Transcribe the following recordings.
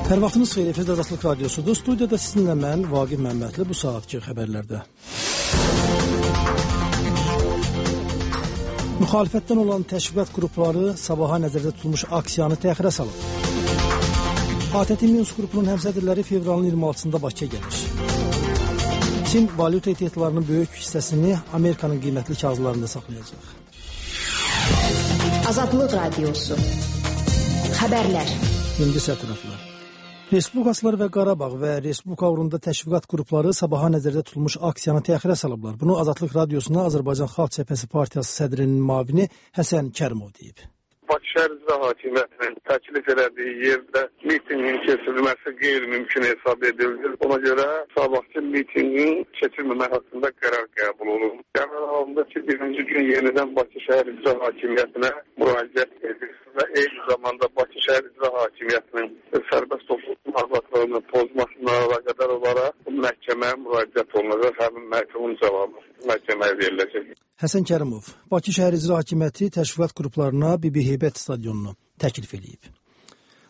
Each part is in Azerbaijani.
Hər vaxtınız xeyir, efirdə Azadlıq Radiosudur. Studiyada sizinlə mən, Vaqif Məmmədli, bu saatki xəbərlərdə. Müxalifətdən olan təşviqat qrupları sabaha nəzərdə tutulmuş aksiyanı təxirə salıb. ATƏT Minsk qrupunun həmsədrləri fevralın 26-sında Bakıya gəlir. Çin valyuta ehtiyatlarının böyük hissəsini Amerikanın qiymətli kağızlarında saxlayacaq. Azadlıq Radiosu. Xəbərlər. İndi sətiraflar. Respublikaçılar və Qarabağ və Respublika uğrunda təşviqat qrupları sabaha nəzərdə tutulmuş aksiyanı təxirə salıblar. Bunu Azadlıq Radiosuna Azərbaycan Xalq Cəbhəsi Partiyası sədrinin müavini Həsən Kərimov deyib. Bakı şəhər icra hakimiyyətinin təklif elədiyi yerdə mitinqin keçirilməsi qeyri-mümkün hesab edilir. Ona görə sabahçı mitinqin keçirilməmək haqqında qərar qəbul olunur. Qərar halında ki, birinci gün yenidən Bakı şəhər icra hakimiyyətinə müraciət edilir və eyni zamanda Bakı şəhər icra hakimiyyətinin sərbəst toplum azadlığını pozmasına əlaqədar olaraq məhkəməyə müraciət olunacaq. Həmin məhkəmənin cavabı məhkəməyə veriləcək. Həsən Kərimov, Bakı şəhər icra hakimiyyəti təşviqat qruplarına Bibi Heybət stadionunu təklif edib.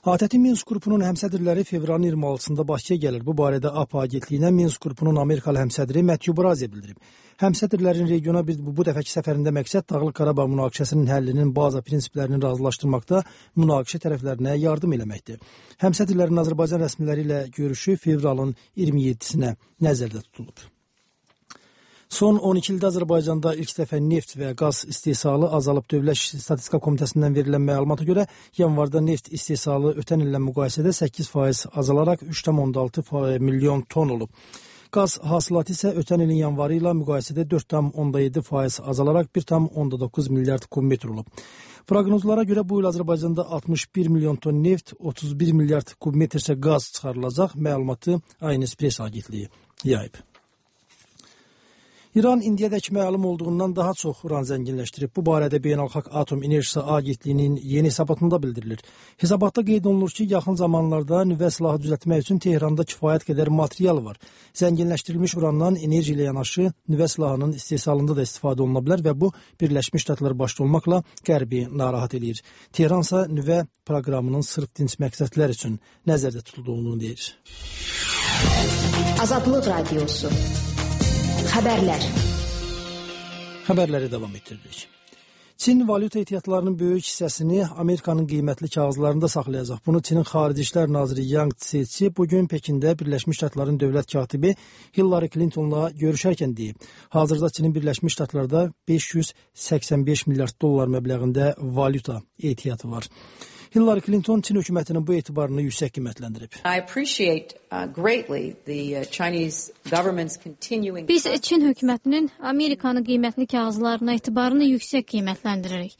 ATƏT Minsk qrupunun həmsədrləri fevralın 26-sında Bakıya gəlir. Bu barədə APA agentliyinə Minsk qrupunun Amerikalı həmsədri Matthew Brazier bildirib. Həmsədrlərin regiona bu dəfəki səfərində məqsəd Dağlıq Qarabağ münaqişəsinin həllinin baza prinsiplərini razılaşdırmaqda münaqişə tərəflərinə yardım eləməkdir. Həmsədrlərin Azərbaycan rəsmiləri ilə görüşü fevralın 27-sinə nəzərdə tutulub. Son 12 ildə Azərbaycanda ilk dəfə neft və qaz istehsalı azalıb. Dövlət Statistika Komitəsindən verilən məlumata görə yanvarda neft istehsalı ötən illə müqayisədə 8% azalaraq 3,6 milyon ton olub. Qaz hasilatı isə ötən ilin yanvarı ilə müqayisədə 4,7% azalaraq 1,9 milyard kubmetr olub. Proqnozlara görə bu il Azərbaycanda 61 milyon ton neft, 31 milyard kubmetr isə qaz çıxarılacaq. Məlumatı Aynəs agentliyi yayıb. İran indiyədək məlum olduğundan daha çox uran zənginləşdirib. Bu barədə Beynəlxalq Atom Enerjisi Agentliyinin yeni hesabatında bildirilir. Hesabatda qeyd olunur ki, yaxın zamanlarda nüvə silahı düzəltmək üçün Tehranda kifayət qədər material var. Zənginləşdirilmiş urandan enerji ilə yanaşı nüvə silahının istehsalında da istifadə oluna bilər və bu Birləşmiş Ştatlar başda olmaqla Qərbi narahat edir. Tehransa nüvə proqramının sırf dinc məqsədlər üçün nəzərdə tutulduğunu deyir. Azadlıq Radiosu. Xəbərlər. Xəbərləri davam etdiririk. Çin valyuta ehtiyatlarının böyük hissəsini Amerikanın qiymətli kağızlarında saxlayacaq. Bunu Çinin Xarici İşlər naziri Yang Jiechi bugün Pekində Birləşmiş Ştatların dövlət katibi Hillary Clinton'la görüşərkən deyib. Hazırda Çinin Birləşmiş Ştatlarda 585 milyard dollar məbləğində valyuta ehtiyatı var. Hillary Clinton Çin hökumətinin bu etibarını yüksək qiymətləndirib. Biz Çin hökumətinin Amerikanın qiymətli kağızlarına etibarını yüksək qiymətləndiririk.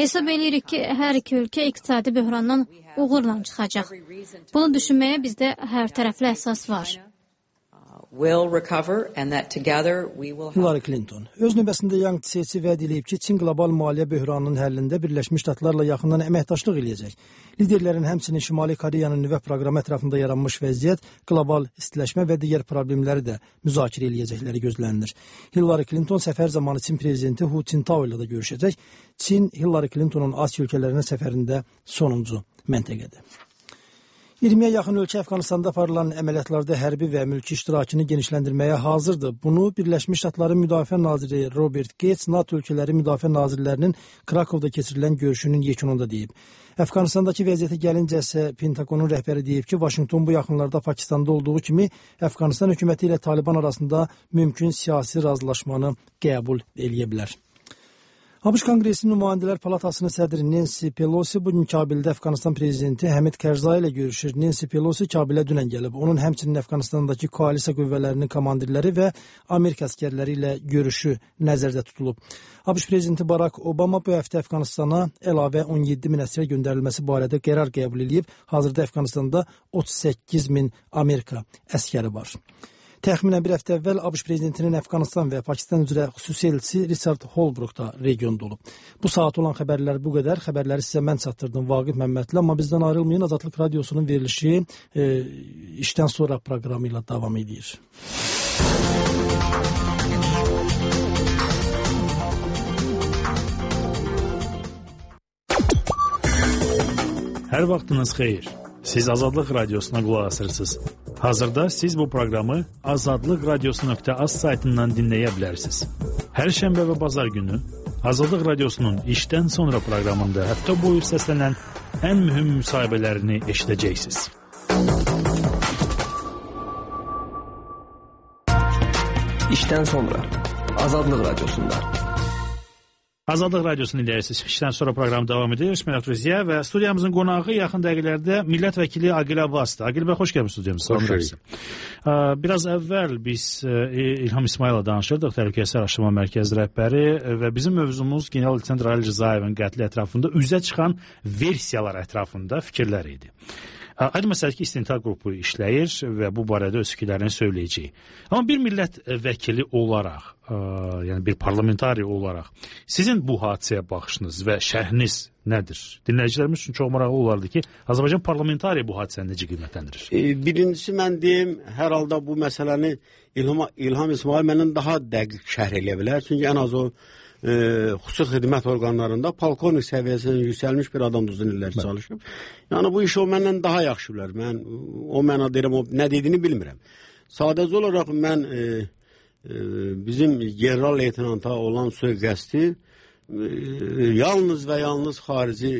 Hesab edirik ki, hər iki ölkə iqtisadi böhrandan uğurla çıxacaq. Bunu düşünməyə bizdə hər tərəfli əsas var. Hillary Clinton öz növbəsində Yang Jiechi vəd edib ki, Çin qlobal maliyyə böhranının həllində Birləşmiş Ştatlarla yaxından əməkdaşlıq eləyəcək. Liderlərin həmçinin Şimali Koreyanın nüvə proqramı ətrafında yaranmış vəziyyət, qlobal istiləşmə və digər problemləri də müzakirə eləyəcəkləri gözlənilir. Hillary Clinton səfər zamanı Çin prezidenti Hu Jintao ilə də görüşəcək. Çin Hillary Clintonun Asiya ölkələrinə səfərində sonuncu məntəqədir. 20-yə yaxın ölkə Əfqanistanda aparılan əməliyyatlarda hərbi və mülki iştirakını genişləndirməyə hazırdır. Bunu Birləşmiş Ştatların Müdafiə naziri Robert Gates, NATO ölkələri müdafiə nazirlərinin Krakovda keçirilən görüşünün yekununda deyib. Əfqanistandakı vəziyyətə gəlincəsə Pentagonun rəhbəri deyib ki, Vaşinqton bu yaxınlarda Pakistanda olduğu kimi Əfqanistan hökuməti ilə Taliban arasında mümkün siyasi razılaşmanı qəbul eləyə bilər. ABŞ Konqresinin Nümayəndələr Palatasının sədri Nancy Pelosi bugün Kabildə Əfqanistan prezidenti Həmid Kərzai ilə görüşür. Nancy Pelosi Kabilə dünən gəlib. Onun həmçinin Əfqanistandakı koalisiya qüvvələrinin komandirləri və Amerika əsgərləri ilə görüşü nəzərdə tutulub. ABŞ prezidenti Barack Obama bu həftə Əfqanistana əlavə 17 min əsgər göndərilməsi barədə qərar qəbul edib. Hazırda Əfqanistanda 38 min Amerika əsgəri var. Təxminən bir həftə əvvəl ABŞ prezidentinin Əfqanistan və Pakistan üzrə xüsusi elçisi Richard Holbrooke da regionda olub. Bu saat olan xəbərlər bu qədər. Xəbərləri sizə mən çatdırdım Vaqif Məmmədli, amma bizdən ayrılmayın. Azadlıq Radiosunun verilişi işdən sonra proqramı ilə davam edir. Hər vaxtınız xeyir. Siz Azadlıq Radiosuna qulaq asırsınız. Hazırda siz bu proqramı azadlıqradiosu.az saytından dinləyə bilərsiniz. Hər şənbə və bazar günü Azadlıq Radiosunun işdən sonra proqramında həftə boyu səslənən ən mühüm müsahibələrini eşidəcəksiniz. İşdən sonra Azadlıq Radiosunda. Azadlıq Radiosunu dinləyirsiniz. İşdən sonra proqram davam edir. Mərhaba Ruziya və studiyamızın qonağı yaxın dəqiqələrdə millət vəkili Aqil Abbasdır. Aqil bəy, xoş gəlmisiniz studiyamıza. Biraz əvvəl biz İlham İsmayıl'la danışırdıq, Təhlükəsizlik Araşdırma Mərkəzi rəhbəri və bizim mövzumuz general-leytenant Rail Rzayevin qətli ətrafında üzə çıxan versiyalar ətrafında fikirlər idi. Aydın məsələdir ki, istintaq qrupu işləyir və bu barədə öz fikirlərini söyləyəcək. Amma bir millət vəkili olaraq, yəni bir parlamentari olaraq sizin bu hadisəyə baxışınız və şərhiniz nədir? Dinləyicilərimiz üçün çox maraqlı olardı ki, Azərbaycan parlamentari bu hadisəni necə qiymətləndirir? Birincisi mən deyim, hər halda bu məsələni İlham İsmail məndən daha dəqiq şərh eləyə bilər. Çünki ən az o xüsusi xidmət orqanlarında polkovnik səviyyəsindən yüksəlmiş bir adam uzun illər çalışıb. Yəni bu işi o məndən daha yaxşı bilər. Mən o mənə deyirəm, o nə dediyini bilmirəm. Sadəcə olaraq mən bizim general-leytenanta olan sui-qəsdi yalnız və yalnız xarici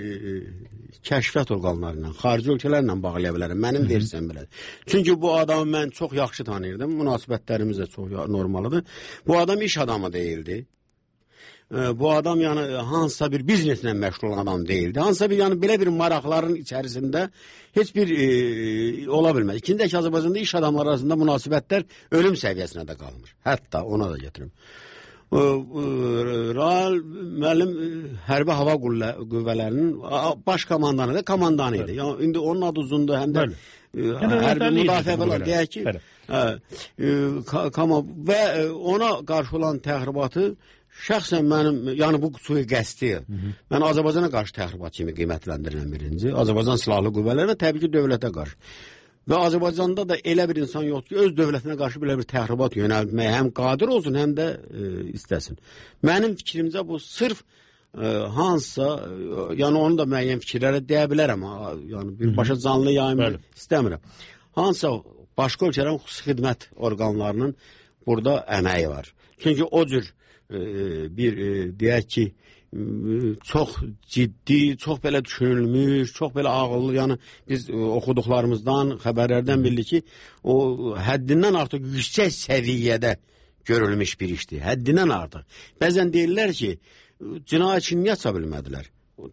kəşfiyyat orqanlarından, xarici ölkələrlə bağlaya bilərəm. Mənim versiyam belədir. Çünki bu adamı mən çox yaxşı tanıyırdım. Münasibətlərimiz də çox normalıdır. Bu adam iş adamı deyildi. Bu adam yəni hansısa bir bizneslə məşğul olan adam deyildi. Hansısa bir yəni belə bir maraqların içərisində heç bir ola bilməz. İkinci ki, Azərbaycanda iş adamları arasında münasibətlər ölüm səviyyəsinə də qalmış. Hətta ona da gətirim. Rail müəllim hərbi hava qüvvələrinin baş komandanı da komandanı idi. Yəni indi onun adı uzundur, həm də hərbi müdafiə belə deyək ki, və ona qarşı olan təxribatı şəxsən mənim, yəni bu sui-qəsdi, mən Azərbaycana qarşı təxribat kimi qiymətləndirilən birinci, Azərbaycan silahlı qüvvələri və təbii ki, dövlətə qarşı. Və Azərbaycanda da elə bir insan yoxdur ki, öz dövlətinə qarşı belə bir təxribat yönəltməyə həm qadir olsun, həm də istəsin. Mənim fikrimcə bu sırf hansısa, yəni onu da müəyyən fikirlərə deyə bilərəm, yəni birbaşa canlı yayımı istəmirəm. Hansısa başqa ölkələrin xüsusi xidmət orqanlarının burada əməyi var. Çünki o cür bir deyək ki, çox ciddi, çox belə düşünülmüş, çox belə ağıllı, yəni biz oxuduqlarımızdan, xəbərlərdən bildik ki, o həddindən artıq yüksək səviyyədə görülmüş bir işdir, həddindən artıq. Bəzən deyirlər ki, cinayətçi niyə aça bilmədilər?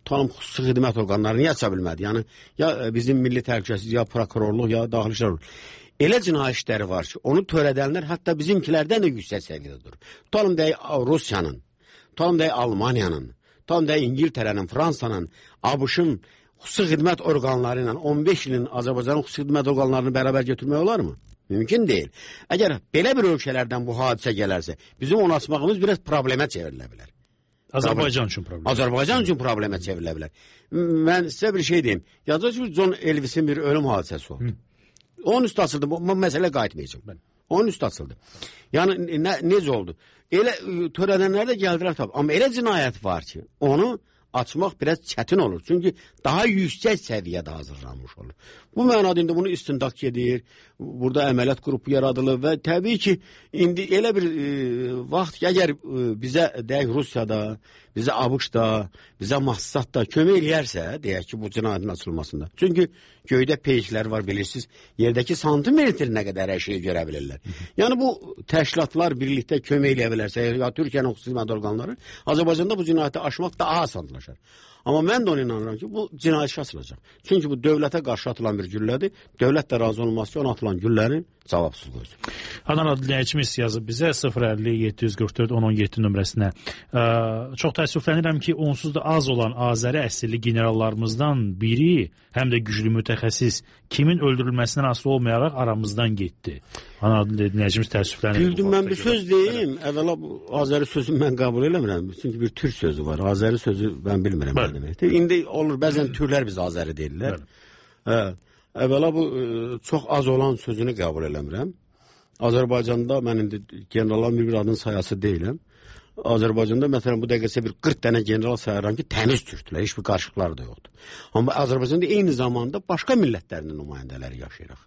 Tanım xüsusi xidmət orqanları niyə aça bilmədi? Yəni, ya bizim milli təhlükəsizlik, ya prokurorluq, ya daxili işlər. Elə cinayət işləri var ki, onu törədənlər hətta bizimkilərdən də yüksək səviyyədə durur. Tutalım deyək Rusiyanın, tutalım deyək Almaniyanın, tutalım deyək İngiltərənin, Fransanın, ABŞ-ın xüsusi xidmət orqanları ilə 15 ilin Azərbaycanın xüsusi xidmət orqanlarını bərabər götürmək olar mı? Mümkün deyil. Əgər belə bir ölkələrdən bu hadisə gələrsə, bizim onu açmağımız biraz problemə çevrilə bilər. Azərbaycan üçün problem. Azərbaycan üçün problemə çevrilə bilər. Mən sizə bir şey deyim. Yazıcı ki, John Elvis'in bir ölüm hadisəsi oldu. Onun üstü açıldı. Bu məsələ qayıtmayacaq. Onun üstü açıldı. Yəni necə oldu? Elə törədənlər də gəldilər tabii. Amma elə cinayət var ki, onu açmaq biraz çətin olur. Çünki daha yüksək səviyyədə hazırlanmış olur. Bu mənada indi bunu istintaq gedir. Burada əməliyyat qrupu yaradılır və təbii ki, indi elə bir vaxt ki, əgər bizə deyək Rusiyada, bizə ABŞ-da, bizə Mossad-da kömək eləyərsə, deyək ki, bu cinayətin açılmasında. Çünki göydə peyklər var, bilirsiniz, yerdəki santimetrinə qədər hər şeyi görə bilirlər. Yəni bu təşkilatlar birlikdə kömək eləyə bilərsə, ya Türkiyənin xüsusi xidmət orqanları, Azərbaycanda bu cinayəti aşmaq daha asanlaşar. Amma mən də ona inanıram ki, bu cinayət işi açılacaq. Çünki bu dövlətə qarşı atılan bir güllədir. Dövlət də razı olmaz ki, ona atılan güllərin cavabsız qoysun. Adana dinləyicimiz yazıb bizə 050-744-1017 nömrəsinə. Çox təəssüflənirəm ki, onsuz da az olan Azəri əsilli generallarımızdan biri, həm də güclü mütəxəssis, kimin öldürülməsindən asılı olmayaraq aramızdan getdi. Adana dinləyicimiz təəssüflənir. Bildim, mən bir söz deyim. Əvvəla Azəri sözünü mən qəbul eləmirəm. Çünki bir türk sözü var. Azəri sözü mən bilmirəm. İndi olur, bəzən türlər biz Azəri deyirlər. Əvvəla bu çox az olan sözünü qəbul eləmirəm. Azərbaycanda mən indi generalların bir adının sayası deyiləm. Azərbaycanda məsələn bu dəqiqəsə bir 40 dənə general sayıram ki, təmiz türkdülər, heç bir qarışıqları da yoxdur. Amma Azərbaycanda eyni zamanda başqa millətlərin nümayəndələri yaşayırıq.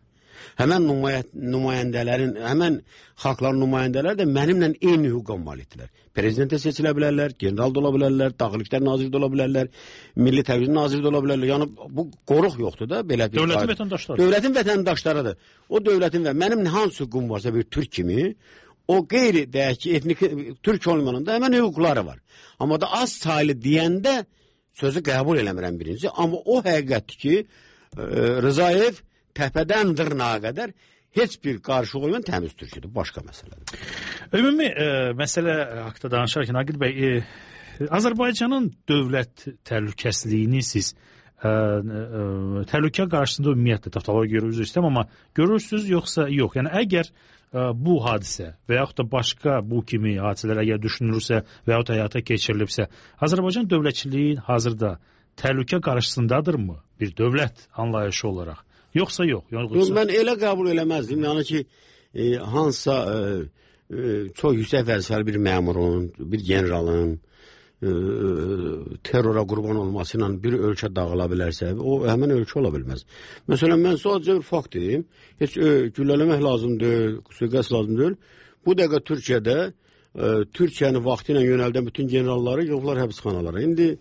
Həmən nümayəndələrin, həmən xalqların nümayəndələri də mənimlə eyni hüquqa malikdirlər. Prezidentə seçilə bilərlər, general da ola bilərlər, Daxili İşlər naziri də ola bilərlər, Milli Təhlükəsizlik naziri də ola bilərlər. Yəni bu qoruq yoxdur da belə bir. Dövlətin vətəndaşları. Dövlətin vətəndaşlarıdır. O dövlətin və mənim hansı hüququm varsa bir türk kimi, o qeyri deyək ki, etnik türk olmanın da həmən hüquqları var. Amma da az saylı deyəndə sözü qəbul eləmirəm birinci. Amma o həqiqətdir ki, Rzayev təpədən dırnağa qədər heç bir qarışıq olmayan təmiz türküdür. Başqa məsələdir. Ümumi məsələ haqda danışarkən Aqil bəy, Azərbaycanın dövlət təhlükəsizliyini siz təhlükə qarşısında ümumiyyətlə taftologiya görürsünüz istəyəm, amma görürsünüz yoxsa yox? Yəni əgər bu hadisə və yaxud da başqa bu kimi hadisələr əgər düşünülürsə və yaxud da həyata keçirilibsə, Azərbaycan dövlətçiliyi hazırda təhlükə qarşısındadırmı bir dövlət anlayışı olaraq? Yoxsa yox? Mən elə qəbul eləməzdim. Yəni ki, hansısa çox yüksək vəzifəli bir məmurun, bir generalın terrora qurban olması ilə bir ölkə dağıla bilərsə, o həmin ölkə ola bilməz. Məsələn, mən sadəcə bir fakt deyim, heç güllələmək lazım deyil, suiqəst lazım deyil. Bu dəqiqə Türkiyədə Türkiyəni vaxtı ilə yönəldən bütün generalları yoxlar həbsxanalara. İndi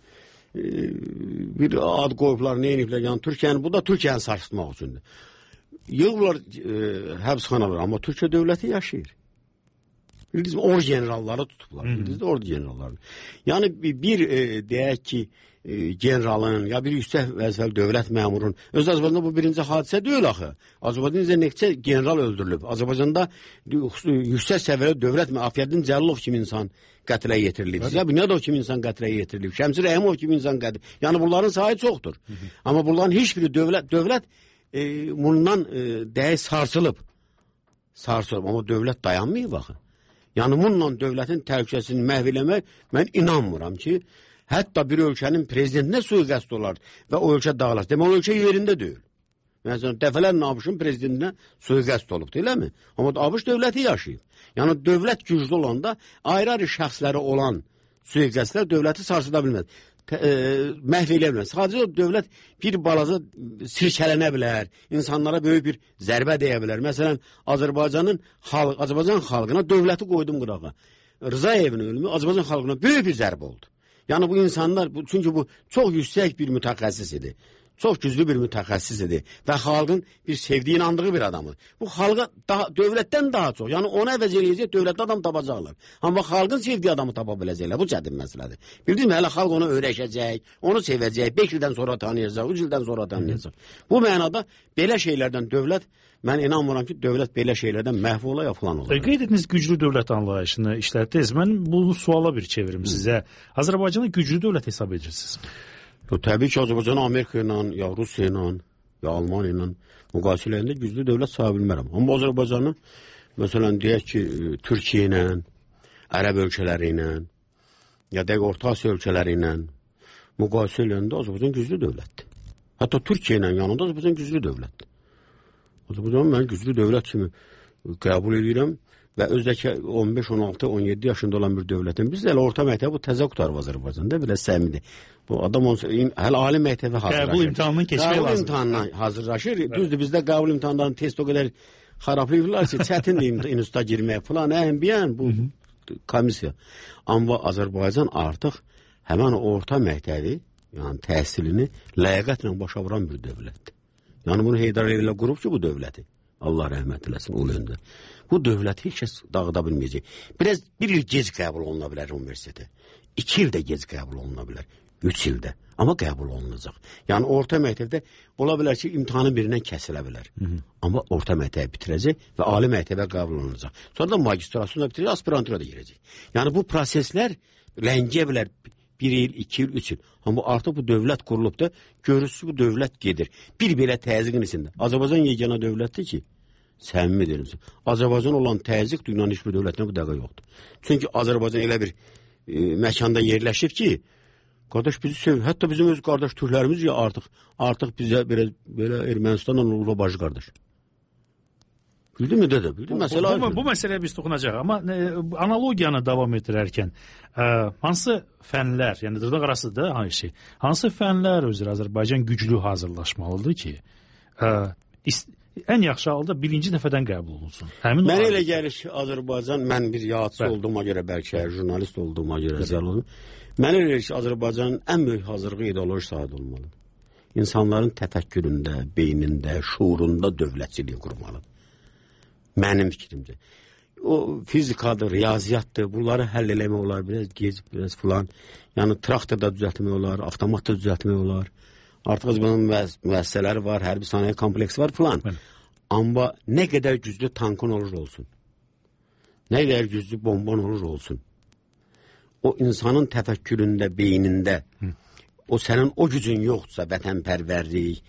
bir ad qoyublar, nə ediblər, yəni Türkiyəni, bu da Türkiyəni sarsıtmaq üçündür. Yığırlar həbsxanalara, amma Türkiyə dövləti yaşayır. Bildiniz mi, ordu generalları tutublar. Bildiniz de ordu generalları. Yəni bir deyək ki, generalın ya bir yüksək vəzifəli dövlət məmurun, öz Azərbaycanda bu birinci hadisə deyil axı. Azərbaycanda neçə general öldürülüb. Azərbaycanda yüksək səviyyəli dövlət Afiyəddin Cəlilov kimi insan qətlə yetirilib. Ya Bünyadov kimi insan qətlə yetirilib. Şəmsi Rəhimov kimi insan qətlə. Yəni bunların sayı çoxdur. Amma bunların heç biri dövlət bundan deyək sarsılıb. Sarsılıb. Amma dövlət dayanmayıb axı. Yəni bununla dövlətin təhlükəsini məhv eləmək mən inanmıram ki, hətta bir ölkənin prezidentinə suiqəst olar və o ölkə dağılar. Demək, o ölkə yerində deyil. Məsələn, dəfələrlə ABŞ-ın prezidentinə suiqəst olub, deyilmi? Amma ABŞ dövləti yaşayıb. Yəni dövlət güclü olanda ayrı-ayrı şəxsləri olan suiqəstlər dövləti sarsıda bilməz. Məhv eləyə bilməz. Sadəcə dövlət bir balaca sirkələnə bilər, insanlara böyük bir zərbə deyə bilər. Məsələn, Azərbaycan xalqına dövləti qoydum qırağa. Rzayevin ölümü Azərbaycan xalqına böyük bir zərbə oldu. Yəni bu insanlar, çünki bu çox yüksək bir mütəxəssis idi. Çox güclü bir mütəxəssis idi və xalqın bir sevdiyi, inandığı bir adamı. Bu xalqa dövlətdən daha çox, yəni ona əvəz eləyəcək dövlətli adam tapacaqlar. Amma xalqın sevdiyi adamı tapa biləcəklər, bu çətin məsələdir. Bildiniz mi, hələ xalq onu öyrəşəcək, onu sevəcək, 5 ildən sonra tanıyacaq, 3 ildən sonra tanıyacaq. Bu mənada belə şeylərdən dövlət, mən inanmıram ki, dövlət belə şeylərdən məhv ola ya falan ola. Qeyd etdiniz güclü dövlət anlayışını işlətdiniz. Mən bunu suala bir çevirim sizə. Azərbaycanı güclü dövlət hesab edirsiniz. Təbii ki, Azərbaycanı Amerika ilə, ya Rusiya ilə, ya Almaniya ilə müqayisə eləyəndə güclü dövlət saya bilmərəm. Amma Azərbaycanı, məsələn, deyək ki, Türkiyə ilə, Ərəb ölkələri ilə, ya da Orta Asiya ölkələri ilə müqayisə eləyəndə Azərbaycan güclü dövlətdir. Hətta Türkiyə ilə yanında Azərbaycan güclü dövlətdir. Azərbaycanı mən güclü dövlət kimi qəbul edirəm və özdəki 15, 16, 17 yaşında olan bir dövlətin, biz elə orta məktəbi bu təzə qutarıb Azərbaycanda, belə səmidir. Bu adam hələ ali məktəbə hazırlaşır. Qəbul imtahanının keçmək lazım. Qəbul imtahanına hazırlaşır. Düzdür, bizdə qəbul imtahanlarının test o qədər xarablayırlar ki, çətindir instituta girmək falan, əhəmbiyən bu komissiya. Amma Azərbaycan artıq həmən orta məktəbi, yəni təhsilini ləyaqətlə başa vuran bir dövlətdir. Yəni bunu Heydar Əliyev qurub ki, bu dövləti. Allah rəhmət eləsin o yöndə. Bu dövləti heç kəs dağıda bilməyəcək. Bir il gec qəbul oluna bilər universitetə. 2 ildə gec qəbul oluna bilər. 3 ildə. Amma qəbul olunacaq. Yəni orta məktəbdə ola bilər ki, imtahanın birindən kəsilə bilər. Amma orta məktəbi bitirəcək və ali məktəbə qəbul olunacaq. Sonra da magistrasyonu bitirəcək, aspirantura da girəcək. Yəni bu proseslər ləngiyə bilər 1 il, 2 il, 3 il. Amma artıq bu dövlət qurulub da görürsünüz bu dövlət gedir. Bir belə təzyiqin içində. Azərbaycan yeganə dövlətdir ki, səmimi deyirəm. Azərbaycan olan təzyiq dünyanın heç bir dövlətində bu dəqiqə yoxdur. Çünki Azərbaycan elə bir məkanda yerləşib ki, qardaş bizi sevir. Hətta bizim öz qardaş türklərimiz ya artıq bizə belə Ermənistanla olub bacı qardaş. Bildin mi dedi? Bildin mesela. Bu məsələyə biz toxunacağıq, amma analogiyanı davam etdirərkən hansı fənlər, yəni dırnaq arasıdır hansı fənlər üzrə Azərbaycan güclü hazırlaşmalıdır ki, ən yaxşı halda birinci dəfədən qəbul olunsun? Mənə elə gəlir ki, Azərbaycan, mən bir yazıçı olduğuma görə, bəlkə jurnalist olduğuma görə mənə elə gəlir ki, Azərbaycanın ən böyük hazırlığı ideoloji sahədə olmalıdır. İnsanların təfəkküründə, beynində, şuurunda dövlətçiliyi qurmalıdır. Mənim fikrimcə. O fizikadır, riyaziyyatdır, bunları həll eləmək olar, biraz filan. Yəni traktorda düzəltmək olar, avtomatda düzəltmək olar. Artıq bunun müəssisələri var, hərbi sənaye kompleksi var filan. Amma nə qədər güclü tankın olur olsun, nə qədər güclü bomban olur olsun, o insanın təfəkküründə, beynində, o sənin o gücün yoxdursa, vətənpərvərlik,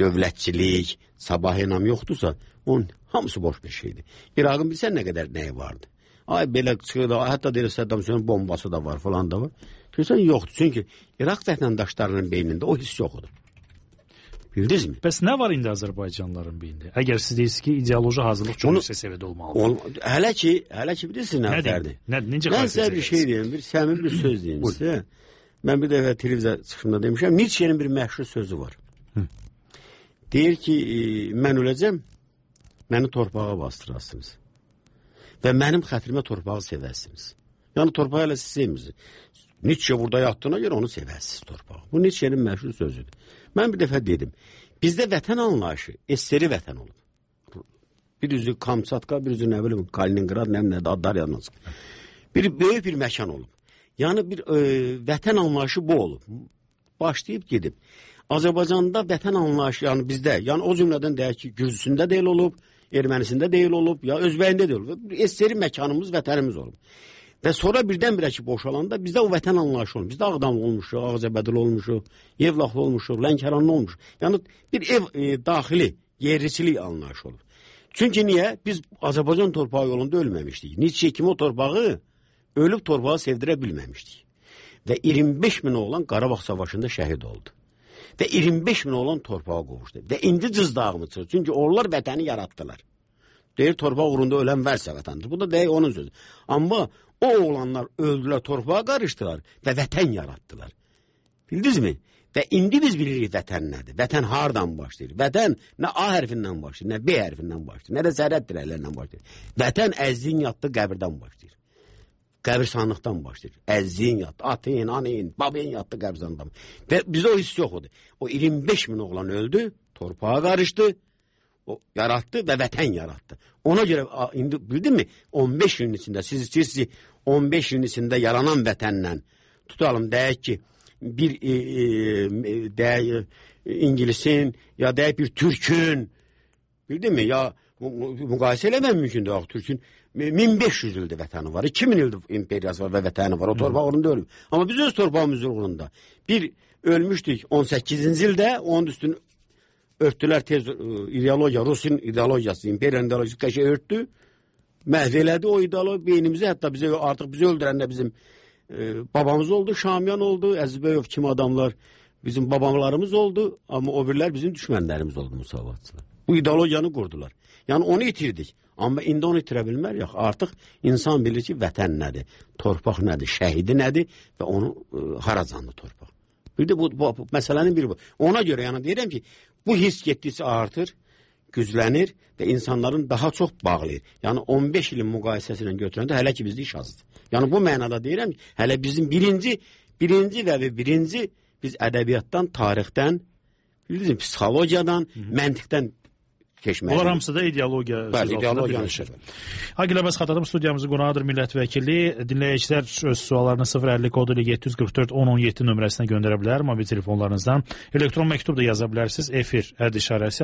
dövlətçilik, sabah inam yoxdursa, onun hamısı boş bir şeydir. İraqın bilsən nə qədər nəyi vardı? Ay belə çıxır da, hətta deyir Səddam Hüseynin bombası da var, falan da var. Görürsən yoxdur, çünki İraq vətəndaşlarının beynində o hiss yoxdur. Bildiniz mi? Bəs nə var indi Azərbaycanlıların beynində? Əgər siz deyirsiniz ki, ideoloji hazırlıq çox yüksək səviyyədə olmalıdır. Hələ ki bilirsiniz nə fərdi? Mən sizə bir şey deyim, bir səmimi bir söz deyim sizə. Mən bir dəfə televiziya çıxışında demişəm, Nietzsche'nin bir məşhur sözü var. Deyir ki, mən öləcəm, məni torpağa bastırasınız və mənim xətrimə torpağı sevərsiniz. Yəni torpağı elə siz sevmirsiniz. Nietzsche burada yatdığına görə onu sevərsiniz torpağı. Bu Nietzsche'nin məşhur sözüdür. Mən bir dəfə dedim, bizdə vətən anlayışı eseri vətən olub. Bir üzü Kamçatka, bir üzü nə bilim Kaliningrad, nə adlar yadınız. Bir böyük bir məkan olub. Yəni bir vətən anlayışı bu olub. Başlayıb gedib. Azərbaycanda vətən anlayışı, yəni bizdə, yəni o cümlədən deyək ki, Gürcüsündə deyil olub, Ermənisində deyil olub, ya Özbəyində deyil olub. Eseri məkanımız, vətənimiz olub. Və sonra birdən-birə ki, boşalanda bizdə o vətən anlayışı olub. Bizdə Ağdamlı olmuşuq, Ağcabədili olmuşuq, Yevlaxlı olmuşuq, Lənkəranlı olmuşuq. Yəni bir ev daxili, yerliçilik anlayışı olub. Çünki niyə? Biz Azərbaycan torpağı yolunda ölməmişdik. Nietzsche kimi o torpağı ölüb torpağı sevdirə bilməmişdik. Və 25 min oğlan Qarabağ savaşında şəhid oldu. Və 25 min oğlan torpağa qovuşdu. Və indi cızdağımı çıxır. Çünki onlar vətəni yaratdılar. Deyir, torpaq uğrunda ölən vərsə vətəndir. Bu da deyək onun sözü. Amma o oğlanlar öldülər, torpağa qarışdılar və vətən yaratdılar. Bildiniz mi? Və indi biz bilirik vətən nədir? Vətən hardan başlayır? Vətən nə A hərfindən başlayır, nə B hərfindən başlayır, nə də zərrət dirəklərindən başlayır. Vətən əzziyin yatdığı qəbirdən başlayır. Qəbirsanlıqdan başlayır. Əzziyin yatdı, atın, anın, babın yatdı qəbirsanlıqdan. Və bizdə o hiss yoxdur. O 25 min oğlan öldü, torpağa qarışdı, o yarattı və vətən yarattı. Ona görə indi bildin mi? 15 ilin içində siz 15 ilin içində yaranan vətənlə tutalım deyək ki bir deyək İngilisin ya deyək bir Türkün bildin mi? Ya müqayisə eləmək mümkündür. Axı Türkün 1500 ildir vətəni var. 2000 ildir imperiyası var və vətəni var. O torpaq uğrunda ölüb. Amma biz öz torpağımız uğrunda bir ölmüşdük 18-ci ildə, onun üstünü örtdülər tez ideologiya, Rusin ideologiyası, imperiyanın ideologiyası qəşə örtdü. Məhv elədi o ideologiya beynimizi, hətta artıq bizi öldürəndə bizim babamız oldu, Şamyan oldu, Əzizbəyov kimi adamlar bizim babalarımız oldu, amma o birlər bizim düşmənlərimiz oldu müsavatçılar. Bu ideologiyanı qurdular. Yəni onu itirdik. Amma indi onu itirə bilmərik. Artıq insan bilir ki, vətən nədir, torpaq nədir, şəhidi nədir və onu haracanlı torpaq. Bir də bu məsələnin biri bu. Ona görə yəni deyirəm ki, bu hiss getdikcə artır, güclənir və insanların daha çox bağlayır. Yəni 15 ilin müqayisəsilə götürəndə hələ ki bizdə iş azdır. Yəni bu mənada deyirəm ki, hələ bizim birinci biz ədəbiyyatdan, tarixdən, psixologiyadan, məntiqdən keçməlidir. Onlar hamısı da ideologiya. Bəli, ideologiya. Agil Abbas xatırladım, studiyamızın qonağıdır millət vəkili. Dinləyicilər öz suallarını 050 kodu ilə 744 1017 nömrəsinə göndərə bilər mobil telefonlarınızdan. Elektron məktub da yaza bilərsiniz. Efir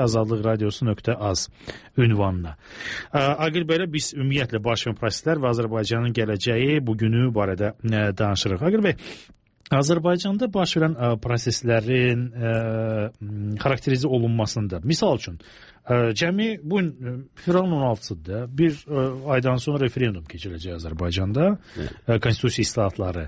@azadlıqradiosu.az ünvanına. Agil bəylə biz ümumiyyətlə baş verən proseslər və Azərbaycanın gələcəyi bugünü barədə danışırıq. Agil bəy, Azərbaycanda baş verən proseslərin xarakterize olunmasında, misal üçün, Cəmi bu fevralın 16-sıdır. Bir aydan sonra referendum keçiriləcək Azərbaycanda konstitusiya islahatları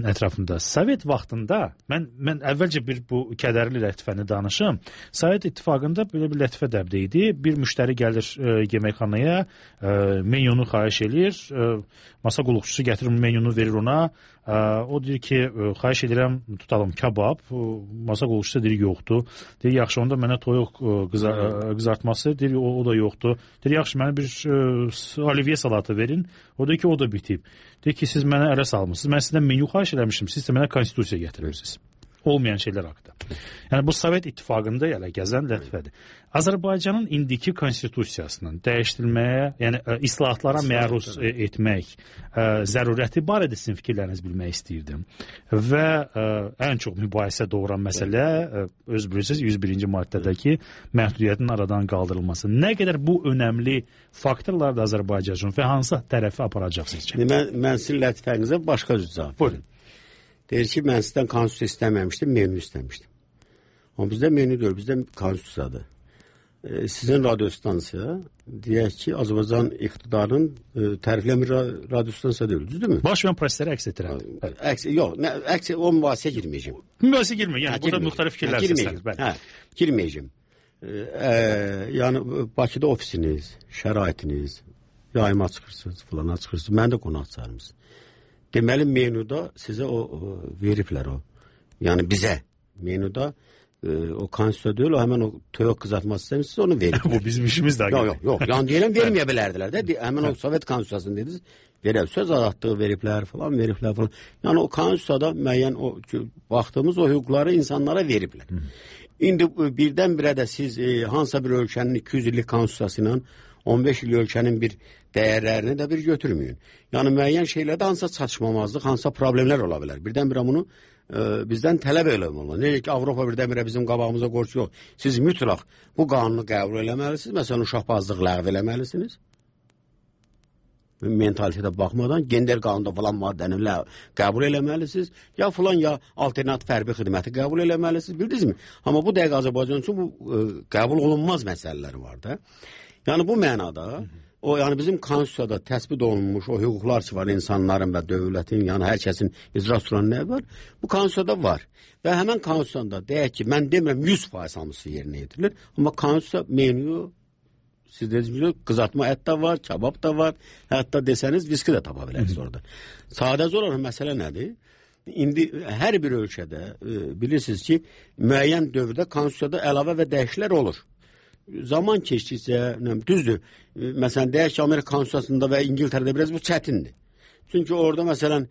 ətrafında. Sovet vaxtında mən əvvəlcə bu kədərli lətifəni danışım. Sovet İttifaqında belə bir lətifə dəbdə idi. Bir müştəri gəlir yeməkxanaya, menyunu xahiş eləyir, masa qulluqçusu gətirir menyunu verir ona. O deyir ki, xahiş edirəm tutalım kabab. Masa qulluqçusu deyir yoxdur. Deyir yaxşı onda mənə toyuq qızartması, deyir o da yoxdur. Deyir yaxşı mənə bir olivye salatı verin. O deyir ki o da bitib. Deyir ki siz mənə ələ salmışsınız. Mən sizdən menyu xahiş eləmişdim. Siz də mənə konstitusiya gətirirsiniz. Olmayan şeylər haqqında. Yəni bu Sovet İttifaqında elə gəzən lətifədir. Azərbaycanın indiki konstitusiyasının dəyişdirilməyə, yəni islahatlara məruz etmək zərurəti barədə sizin fikirlərinizi bilmək istəyirdim. Və ən çox mübahisə doğuran məsələ öz bilirsiniz 101-ci maddədəki məhdudiyyətin aradan qaldırılması. Nə qədər bu önəmli faktorlar da Azərbaycan üçün və hansı tərəfi aparacaq sizcə? Mən sizin lətifənizə başqa cür cavab verim. Deyir ki, mən sizdən konstitusiya istəməmişdim, menü istəmişdim. Amma bizdə menü deyil, bizdə konstitusiyadır. Sizin radiostansiya, deyək ki, Azərbaycan iqtidarının tərifləmir radiostansiya deyil, düzdürmü? Baş verən prosesləri əks etdirən. Yox, o mübahisə girməyəcəm. Mübahisə girməyəcəm, yəni burada müxtəlif fikirlər səslənir. Girməyəcəm. Yəni, Bakıda ofisiniz, şəraitiniz, yayıma çıxırsınız, filana çıxırsınız, mən də qonaq çağırmışsınız. Deməli, menuda sizə o veriblər o. Yəni bizə menuda o konstitusiya deyil, o həmən o toyuq qızartması istəmişsiniz, onu verib. Bu bizim işimiz də. Yox. Yəni deyilən verməyə bilərdilər də. Həmən o Sovet konstitusiyasını dediniz, verib söz azadlığı veriblər falan. Yəni o konstitusiyada müəyyən o baxdığımız o hüquqları insanlara veriblər. İndi birdən-birə də siz hansısa bir ölkənin 200 illik konstitusiyası ilə 15 il ölkənin bir dəyərlərini də bir götürməyin. Yəni müəyyən şeylərdə hansısa çatışmamazlıq, hansısa problemlər ola bilər. Birdən-birə bunu bizdən tələb eləmək. Necə ki, Avropa birdən-birə bizim qabağımıza qorç yox. Siz mütləq bu qanunu qəbul eləməlisiniz. Məsələn, uşaqbazlıq ləğv eləməlisiniz. Mentalitetə baxmadan gender qanunda falan maddəni qəbul eləməlisiniz. Ya filan ya alternativ hərbi xidməti qəbul eləməlisiniz. Bildinizmi? Amma bu dəqiq Azərbaycan üçün bu qəbul olunmaz məsələlər var da. Yəni bu mənada, yəni bizim konstitusiyada təsbit olunmuş o hüquqlar ki var insanların və dövlətin, yəni hər kəsin icra süran nə var? Bu konstitusiyada var. Və həmən konstitusiyada deyək ki, mən demirəm 100% hamısı yerinə yetirilir, amma konstitusiya menyu, siz dediniz, qızartma ət də var, kabab da var, hətta desəniz viski də tapa bilərsiniz orada. Sadəcə olaraq məsələ nədir? İndi hər bir ölkədə bilirsiniz ki, müəyyən dövrdə konstitusiyada əlavə və dəyişikliklər olur. Zaman keçdikcə, düzdür, məsələn, deyək ki, Amerika konstitusiyasında və İngiltərədə biraz bu çətindir. Çünki orada, məsələn,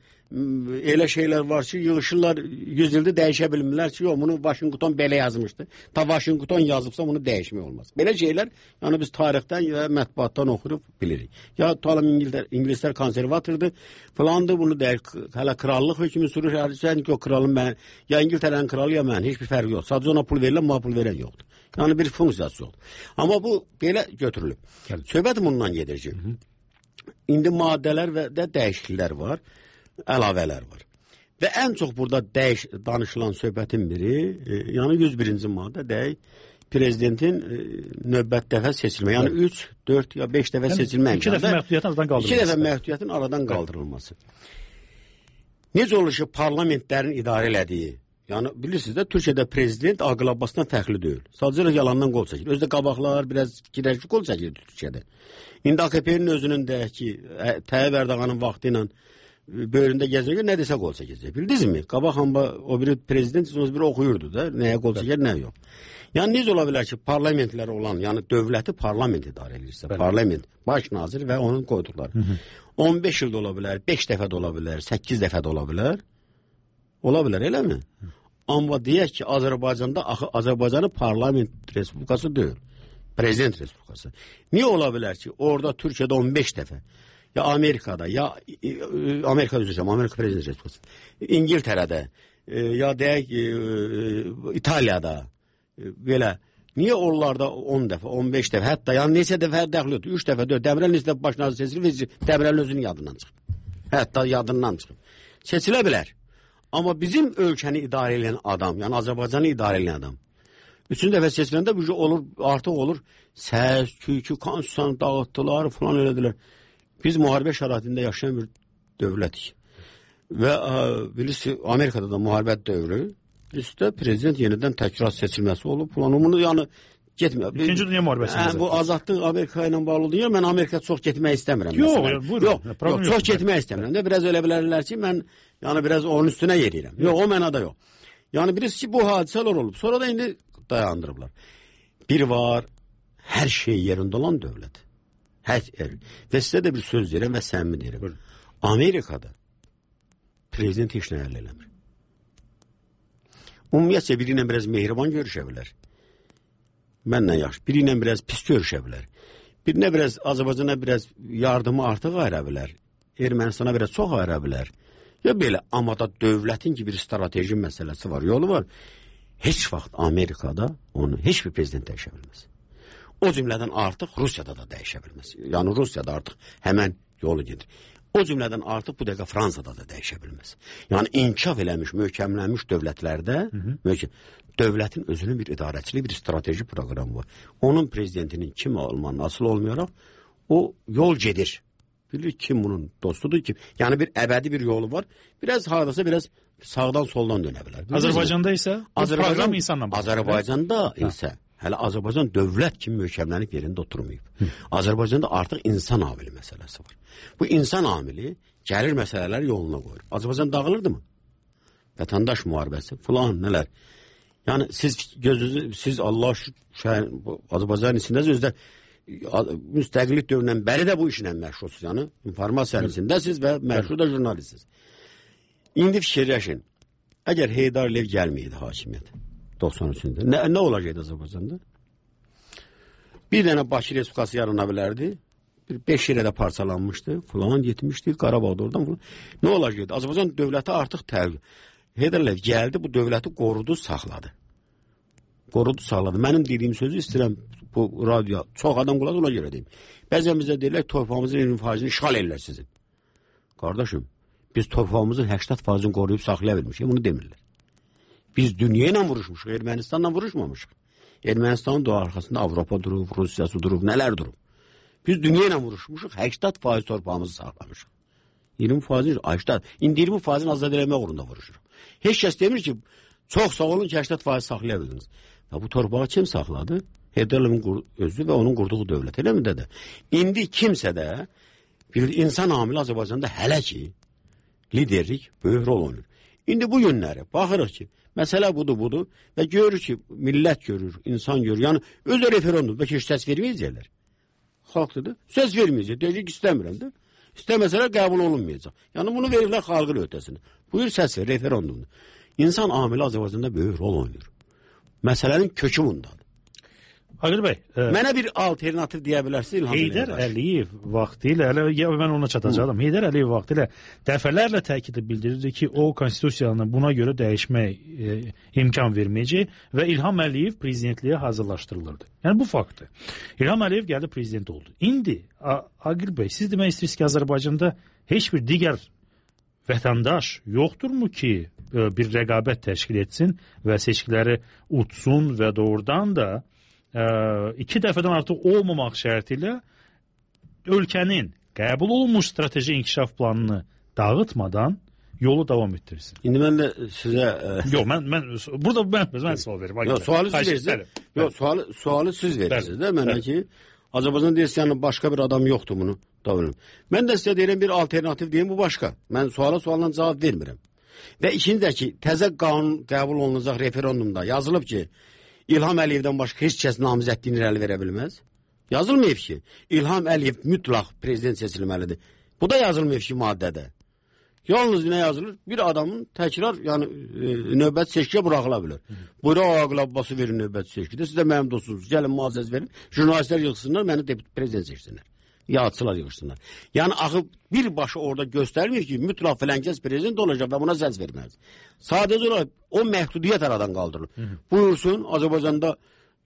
elə şeylər var ki, yığışırlar, 100 ildə dəyişə bilmirlər ki, yox, bunu Washington belə yazmışdı. Ta Washington yazıbsa, bunu dəyişmək olmaz. Belə şeylər, yəni biz tarixdən və mətbuatdan oxuyub bilirik. Ya tutalım İngilislər konservatordur, falandır, bunu deyək, hələ krallıq hökmü sürür, ki, o kralın mən, ya İngiltərənin kralı, ya mən, heç bir fərqi yox. Sadəcə ona pul verirlər, ona pul verən yoxdur. Yəni bir funksiyası yoxdur. Amma bu belə götürülüb. Söhbət bundan gedir ki, indi maddələr və də dəyişikliklər var, əlavələr var. Və ən çox burada danışılan söhbətin biri, yəni 101-ci maddə deyək, prezidentin növbət dəfə seçilmə. Yəni 3, 4 ya 5 dəfə seçilmə. 2 dəfə məhdudiyyətin aradan qaldırılması. 2 dəfə məhdudiyyətin aradan qaldırılması. Necə olur ki, parlamentlərin idarə elədiyi, yəni bilirsiniz də, Türkiyədə prezident Aqil Abbasdan fərqli deyil. Sadəcə yalandan qol çəkilir. Özdə qabaqlar biraz girərki qol çəkilirdi Türkiyədə. İndi AKP-nin özünün deyək ki, Tayyip Erdoğan'ın vaxtı ilə böyründə gəzmək nə desə qol çəkəcək. Bildinizmi? Qabaq o biri prezident o biri oxuyurdu da, nəyə qol çəkər, nə yox. Yəni necə ola bilər ki, parlamentlər olan, yəni dövləti parlament idarə edirsə, parlament, baş nazir və onun qoyduqları. 15 ildə ola bilər, 5 dəfə də ola bilər, 8 dəfə də ola bilər. Ola bilər, eləmi? Amma deyək ki, Azərbaycanda Azərbaycanı parlament respublikası deyil. Prezident respublikası. Niyə ola bilər ki, orada Türkiyədə 15 dəfə, ya Amerikada, ya Amerika prezident respublikası, İngiltərədə, ya deyək İtaliyada, belə, niyə onlarda 10 dəfə, 15 dəfə, hətta, yəni neçə dəfə dəxil yoxdur, 3 dəfə, 4, Dəmirəl neçə dəfə baş nazir seçilir, Dəmirəl özünün yadından çıxıb. Hətta yadından çıxıb. Seçilə bilər. Amma bizim ölkəni idarə edən adam, yəni Azərbaycanı idarə edən adam, Üçüncü dəfə seçiləndə bu olur, artıq olur. Səs, küykü, konstitusiyanı dağıtdılar, falan elədilər. Biz müharibə şəraitində yaşayan bir dövlətik. Və bilirsiniz, Amerikada da müharibə dövrü, üstə prezident yenidən təkrar seçilməsi olub. Falan bunu yəni getmir. İkinci Dünya müharibəsində. Bu azadlıq Amerika ilə bağlıdır. Yəni mən Amerikaya çox getmək istəmirəm. Yox, çox getmək istəmirəm. Də biraz elə bilərlər ki, mən yəni biraz onun üstünə yeriyirəm. Yox, o mənada yox. Yəni bilirsiniz ki, bu hadisələr olub. Sonra da indi dayandırıblar. Bir var, hər şey yerində olan dövlət. Və sizə də bir söz deyirəm və səmimi deyirəm. Amerikada prezident heç nə əldə eləmir. Ümumiyyətcə biri ilə biraz mehriban görüşə bilər. Mənlə yaxşı. Biri ilə biraz pis görüşə bilər. Birinə biraz Azərbaycana biraz yardımı artıq ayıra bilər. Ermənistana biraz çox ayıra bilər. Ya belə, amma da dövlətin ki bir strateji məsələsi var, yolu var. Heç vaxt Amerikada onu heç bir prezident dəyişə bilməz. O cümlədən artıq Rusiyada da dəyişə bilməz. Yəni Rusiyada artıq həmən yolu gedir. O cümlədən artıq bu dəqiqə Fransada da dəyişə bilməz. Yəni inkişaf eləmiş, möhkəmlənmiş dövlətlərdə dövlətin özünün bir idarəçiliyi, bir strateji proqramı var. Onun prezidentinin kim olmanın asıl olmayaraq o yol gedir. Bilir kim bunun dostudur ki, yəni bir əbədi bir yolu var. Biraz hardasa biraz sağdan soldan dönə bilər. Azərbaycanda isə proqram insanla bağlı. Azərbaycanda isə hələ Azərbaycan dövlət kimi möhkəmlənib yerində oturmayıb. Azərbaycanda artıq insan amili məsələsi var. Bu insan amili gəlir məsələləri yoluna qoyur. Azərbaycan dağılırdı mı? Vətəndaş müharibəsi filan nələr. Yəni siz Allah Azərbaycan içindəsiz, özdə müstəqillik dövründən bəri də bu işlə məşğulsuz. Yəni informasiyanın içindəsiz və məşğul da jurnalistsiniz. İndi fikirləşin. Əgər Heydar Əliyev gəlməyəydi hakimiyyət 93-də, nə olacaqdı Azərbaycanda? Bir dənə Bakı Respublikası yarana bilərdi. 5 yerə parçalanmışdı. Falan getmişdi. Qarabağda oradan falan. Nə olacaqdı? Azərbaycan dövləti artıq Heydar Əliyev gəldi, bu dövləti qorudu, saxladı. Qorudu, saxladı. Mənim dediyim sözü istəyirəm bu radioya. Çox adam qulaq ona görə deyim. Bəzən bizə deyirlər, torpağımızın 20%-ni işğal edirlər sizin. Qardaşım, biz torpağımızın 80%-ni qoruyub saxlaya bilmişik. Bunu demirlər. Biz dünya ilə vuruşmuşuq, Ermənistanla vuruşmamışıq. Ermənistanın da arxasında Avropa durub, Rusiyası durub, nələr durub. Biz dünya ilə vuruşmuşuq, 80% torpağımızı saxlamışıq. 20%-ni, 80%, indi 20%-ni azad eləmək uğrunda vuruşuruq. Heç kəs demir ki, çox sağ olun ki, 80% saxlaya bildiniz. Və bu torpağı kim saxladı? Heydar Əliyevin özü və onun qurduğu dövlət, elə mi də? İndi kimsə də bir insan amili Azərbaycanda hələ ki, liderlik böyük rol oynayır. İndi bu günləri baxırıq ki, məsələ budur və görür ki, millət görür, insan görür. Yəni, özü referendum, bəlkə heç səs verməyəcəklər. Xalqdır, söz verməyəcək, deyəcək ki, istəmirəm də. İstəməsələr qəbul olunmayacaq. Yəni, bunu verirlər xalqın öhdəsinə. Buyur səs ver, referendumdur. İnsan amili Azərbaycanda böyük rol oynayır. Məsələnin kökü bundadır. Aqil bəy, mənə bir alternativ deyə bilərsiniz İlham Heydar Əliyev vaxtilə, mən ona çatacağım. Heydar Əliyev vaxtilə dəfələrlə təkidlə bildirirdi ki, o konstitusiyanı buna görə dəyişmək imkan verməyəcək və İlham Əliyev prezidentliyə hazırlaşdırılırdı. Yəni bu faktdır. İlham Əliyev gəldi prezident oldu. İndi Aqil bəy, siz demək istəyirsiniz ki, Azərbaycanda heç bir digər vətəndaş yoxdurmu ki, bir rəqabət təşkil etsin və seçkiləri utsun və doğrudan da 2 dəfədən artıq olmamaq şərti ilə ölkənin qəbul olunmuş strateji inkişaf planını dağıtmadan yolu davam etdirsin. İndi mən də sizə... Yox, burada mən sual verim. Yox, sualı siz verirsiniz də mənə ki, Azərbaycan deyirsən, başqa bir adam yoxdur bunu davranım. Mən də sizə deyirəm bir alternativ deyim, bu başqa. Mən suala cavab vermirəm. Və ikinci də ki, təzə qanun qəbul olunacaq referendumda yazılıb ki, İlham Əliyevdən başqa heç kəs namizədliyini irəli verə bilməz. Yazılmayıb ki, İlham Əliyev mütləq prezident seçilməlidir. Bu da yazılmayıb ki, maddədə. Yalnız nə yazılır? Bir adamın təkrar, yəni növbət seçkiyə buraxıla bilər. Buyuraq Aqil Abbası verin növbət seçkidə. Siz də mənim dostunuz. Gəlin müazzəz verin. Jurnalistlər yığsınlar, məni prezident seçsinlər. Yağçılar yığışsınlar. Yəni axı birbaşa orada göstərmir ki, mütləq filankəs prezident olacaq və buna səs verməlidir. Sadəcə olaraq o məhdudiyyət aradan qaldırılır. Buyursun, Azərbaycanda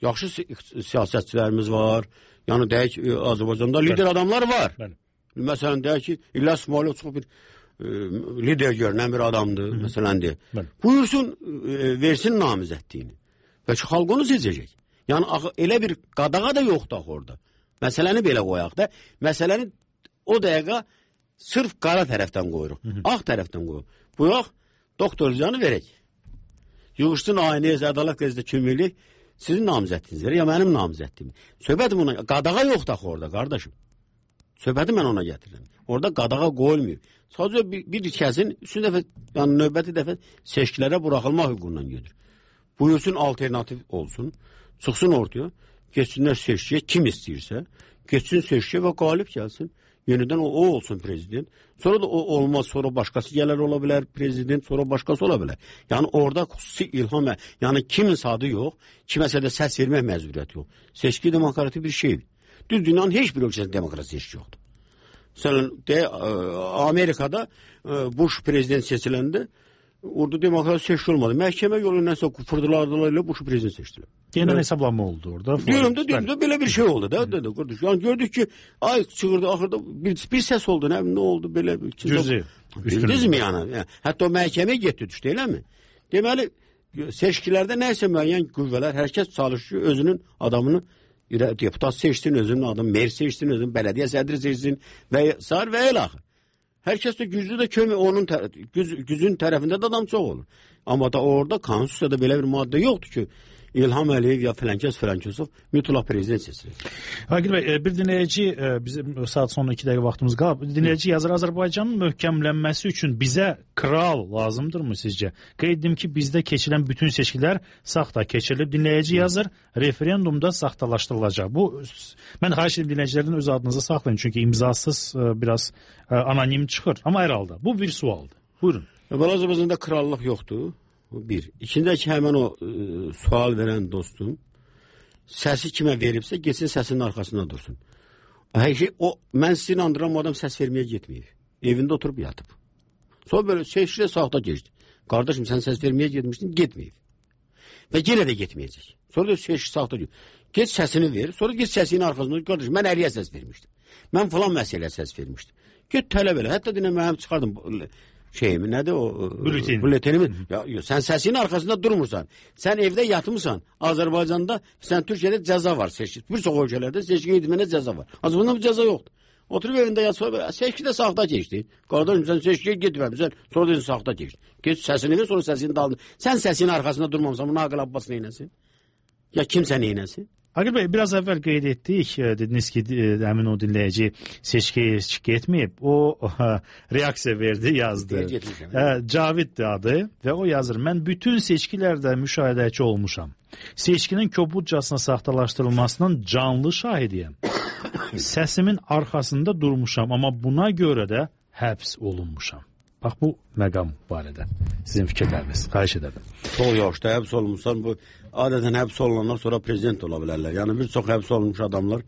yaxşı siyasətçilərimiz var. Yəni deyək, Azərbaycanda lider adamlar var. Məsələn, deyək ki, İlyas İsmailov çox bir lider görünən bir adamdır. Məsələn, deyək. Buyursun, versin namizədliyini. Bəlkə xalq onu seçəcək. Yəni elə bir qadağa da yoxdur axı orada. Məsələni belə qoyaq da. Məsələni o dəqiqə sırf qara tərəfdən qoyuruq. Ağ tərəfdən qoyuruq. Buyaq, doktor canı verək. Yığışsın aynəyə ədalət qəzetdə köməklik sizin namizədinizdir, ya mənim namizəddim. Söhbətim ona, qadağa yoxdur axı orada, qardaşım. Söhbəti mən ona gətirirəm. Orada qadağa qoyulmuyor. Sadəcə bir kəsin üçüncü dəfə, yəni növbəti dəfə seçkilərə buraxılmaq hüququndan gedir. Buyursun alternativ olsun, çıxsın ortaya, geçsinlər seçkiyə kim istəyirsə, geçsin seçkiyə və qalib gəlsin. Yenidən o olsun prezident. Sonra da o olmaz, sonra başqası gələr ola bilər prezident, sonra başqası ola bilər. Yəni orada xüsusi ilham, yəni kimin adı yox, kiməsə də səs vermək məcburiyyəti yox. Seçki demokratik bir şeydir. Düz dünyanın heç bir ölkəsində demokratik seçki yoxdur. Məsələn, Amerikada Bush prezident seçiləndə orada demokratik seçki olmadı. Məhkəmə yolu nəsə fırdılardılar ilə Bush prezident seçdilər. Yeniden hesablanma oldu orada. Diyorum da böyle bir şey oldu da. Yani gördük ki ay çığırdı ahırda bir ses oldu. Ne oldu böyle? Bildiniz mi yani? Hatta o məhkəməyə getdi düşdü, elə mi? Deməli, seçkilərdə nəysə müəyyən qüvvələr, hər kəs çalışıyor özünün adamını deputat seçsin, özünün adamı mer seçsin, özünün belediye sədri seçsin və sar və ilaxı. Hər kəs də güclü də kömək onun gücün tərəfində də adam çox olur. Amma da orada konstitusiyada belə bir maddə yoxdur ki, İlham Əliyev ya filankəsov mütləq prezident seçilir. Agil bəy, bir dinləyici, bizim saat sonra 2 dəqiqə vaxtımız qalıb. Dinləyici yazır, Azərbaycanın möhkəmlənməsi üçün bizə kral lazımdırmı sizcə? Qeyd edim ki, bizdə keçirilən bütün seçkilər saxta keçirilib. Dinləyici yazır, referendumda saxtalaşdırılacaq. Bu, mən xahiş edim dinləyicilərdən öz adınızı saxlayın. Çünki imzasız biraz anonim çıxır. Amma hər halda, bu bir sualdır. Buyurun. Azərbaycanda krallıq yoxdur. Bir. İçindəki həmən o sual verən dostum səsi kimə veribsə geçsin səsinin arxasında dursun. Mən sizi inandıram, o adam səs verməyə getməyib. Evində oturub yatıb. Sonra böyle seçkilə saxta geçdi. Qardaşım sən səs verməyə getmişdin, getməyib. Və yenə də getməyəcək. Sonra da seçki saxta geçdi. Geç səsini ver, sonra geç səsinin arxasında. Qardaşım mən Əliyə səs vermişdim. Mən falan məsələyə səs vermişdim. Get tələb elə. Hətta dinə mənim çıxardım şeyimi, nədir o? Bülleteni. Sən səsinin arxasında durmursan. Sən evdə yatmısan. Azərbaycanda, sən Türkiyədə cəza var. Bir çox ölkələrdə seçki etmənə cəza var. Azərbaycanda bu cəza yoxdur. Oturub evində yatsa, seçki də saxta keçdi. Qardaşım sən seçkiyə getməmişsən, sonra dedin saxta keçdi. Geç səsini ver, sonra səsini daldın. Sən səsinin arxasında durmamısan, bunu Aqil Abbas neynəsin? Ya kimsə neynəsin? Agil bəy, biraz əvvəl qeyd etdik, dediniz ki, həmin o dinləyici seçkiyə etməyib, o reaksiya verdi, yazdı. Caviddir adı və o yazır, mən bütün seçkilərdə müşahidəçi olmuşam. Seçkinin kobudcasına saxtalaşdırılmasının canlı şahidiyəm. Səsimin arxasında durmuşam, amma buna görə də həbs olunmuşam. Bax, bu məqam barədə sizin fikirləriniz, xahiş edərdim. Çox yaşda həbs olmuşsan, bu adətən həbs olunanlar sonra prezident ola bilərlər. Yəni bir çox həbs olunmuş adamlar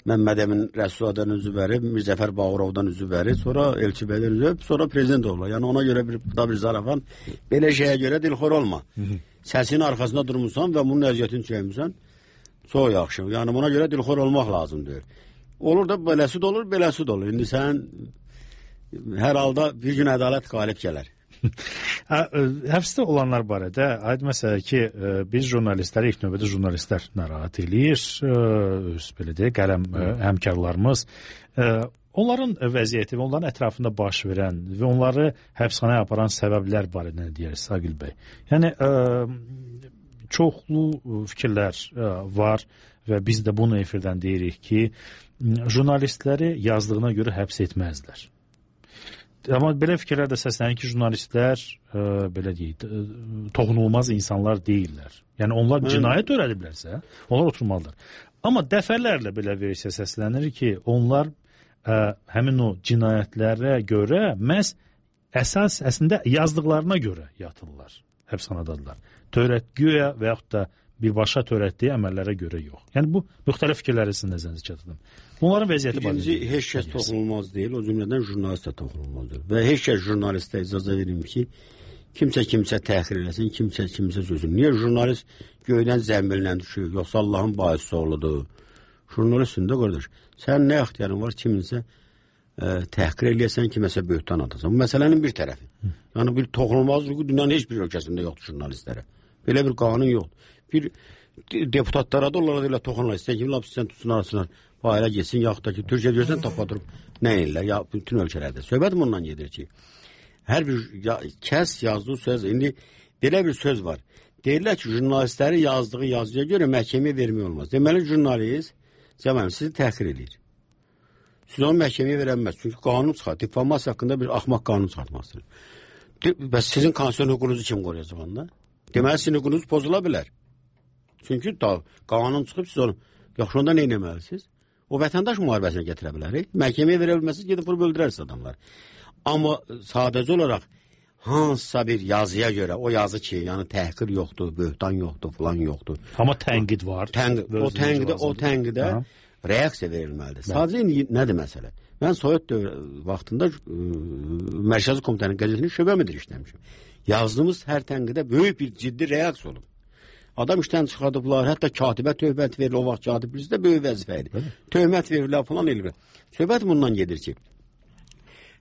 Məmməd Əmin Rəsuladan üzü verib, Mirzəfər Bağırovdan üzü verib, sonra Elçi Bəydən üzü verib, sonra prezident olurlar. Yəni ona görə bir zarafan, belə şeyə görə dilxor olma. Səsinin arxasında durmuşsan və bunun əziyyətini çəkmişsən, çox yaxşı. Yəni buna görə dilxor olmaq lazımdır. Olur da beləsi də olur, beləsi də olur. İndi sən hər halda bir gün ədalət qalib gələr. Həbsdə olanlar barədə aid məsələ ki, biz jurnalistləri, ilk növbədə jurnalistlər narahat eləyir, belə deyək, qələm həmkarlarımız. Onların vəziyyəti və onların ətrafında baş verən və onları həbsxanaya aparan səbəblər barədə nə deyirsiniz, Agil bəy? Yəni, çoxlu fikirlər var və biz də bunu efirdən deyirik ki, jurnalistləri yazdığına görə həbs etməzlər. Amma belə fikirlər də səslənir ki, jurnalistlər belə deyək, toxunulmaz insanlar deyirlər. Yəni onlar cinayət törədiblərsə, onlar oturmalıdır. Amma dəfələrlə belə versiya səslənir ki, onlar həmin o cinayətlərə görə məhz əslində yazdıqlarına görə yatırlar, həbsxanadadılar. Törətgüyə və yaxud da birbaşa törətdiyi əməllərə görə yox. Yəni bu müxtəlif fikirləri sizin nəzərinizə çatdırdım. Bunların vəziyyəti barədə. İkinci, heç kəs toxunulmaz deyil, o cümlədən jurnalist də toxunulmazdır. Və heç kəs jurnalistə icazə verim ki, kimsə təxir eləsin, kimsə sözün. Niyə jurnalist göydən zəmbillə düşür, yoxsa Allahın baisi oğludur? Jurnalistsin də qardaş, sən nə ixtiyarın var kiminsə təhqir eləyəsən, kiməsə böhtan atasan. Bu məsələnin bir tərəfi. Yəni bir toxunulmazlığı dünyanın heç bir ölkəsində yoxdur jurnalistlərə. Belə bir qanun yoxdur. bir deputatlara da onlara elə toxunlar. İstəyən kimi lap sən tutsun arasınlar. Failə geçsin, yaxud da ki, Türkiyə görsən topadırıb. Nə edirlər? Ya, bütün ölkələrdə. Söhbətim ondan gedir ki, hər bir kəs yazdığı söz, indi belə bir söz var. Deyirlər ki, jurnalistləri yazdığı yazıya görə məhkəməyə vermək olmaz. Deməli, jurnalist sizi təhqir edir. Siz onu məhkəməyə verəməz. Çünki qanun çıxar. Difamasiya haqqında bir axmaq qanun çıxartmazsınız. Bəs sizin konstitusiyon hüququnuzu kim qoruyacaq onda? Deməli, sizin hüququnuz pozula bilər. Çünki qanun çıxıb siz onu yaxşı onda nə etməlisiniz? O vətəndaş müharibəsine gətirə bilər. Məhkəməyə verə bilməsiniz, gedib vurub öldürərsiniz adamlar. Amma sadəcə olaraq hansısa bir yazıya görə, o yazı ki, yəni təhqir yoxdur, böhtan yoxdur, falan yoxdur. Amma tənqid var. O tənqidə reaksiya verilməlidir. Sadəcə nədir məsələ? Mən Sovet vaxtında Mərkəzi Komitənin qəzetinin şöbə müdiri işləmişim. Yazdığımız hər tənqidə böyük bir ciddi reaksiya olub. Adam işdən çıxardıblar, hətta katibə töhmət verilir, o vaxt katib bizdə böyük vəzifə idi. Töhmət verirlər, falan eləyirlər. Söhbət bundan gedir ki,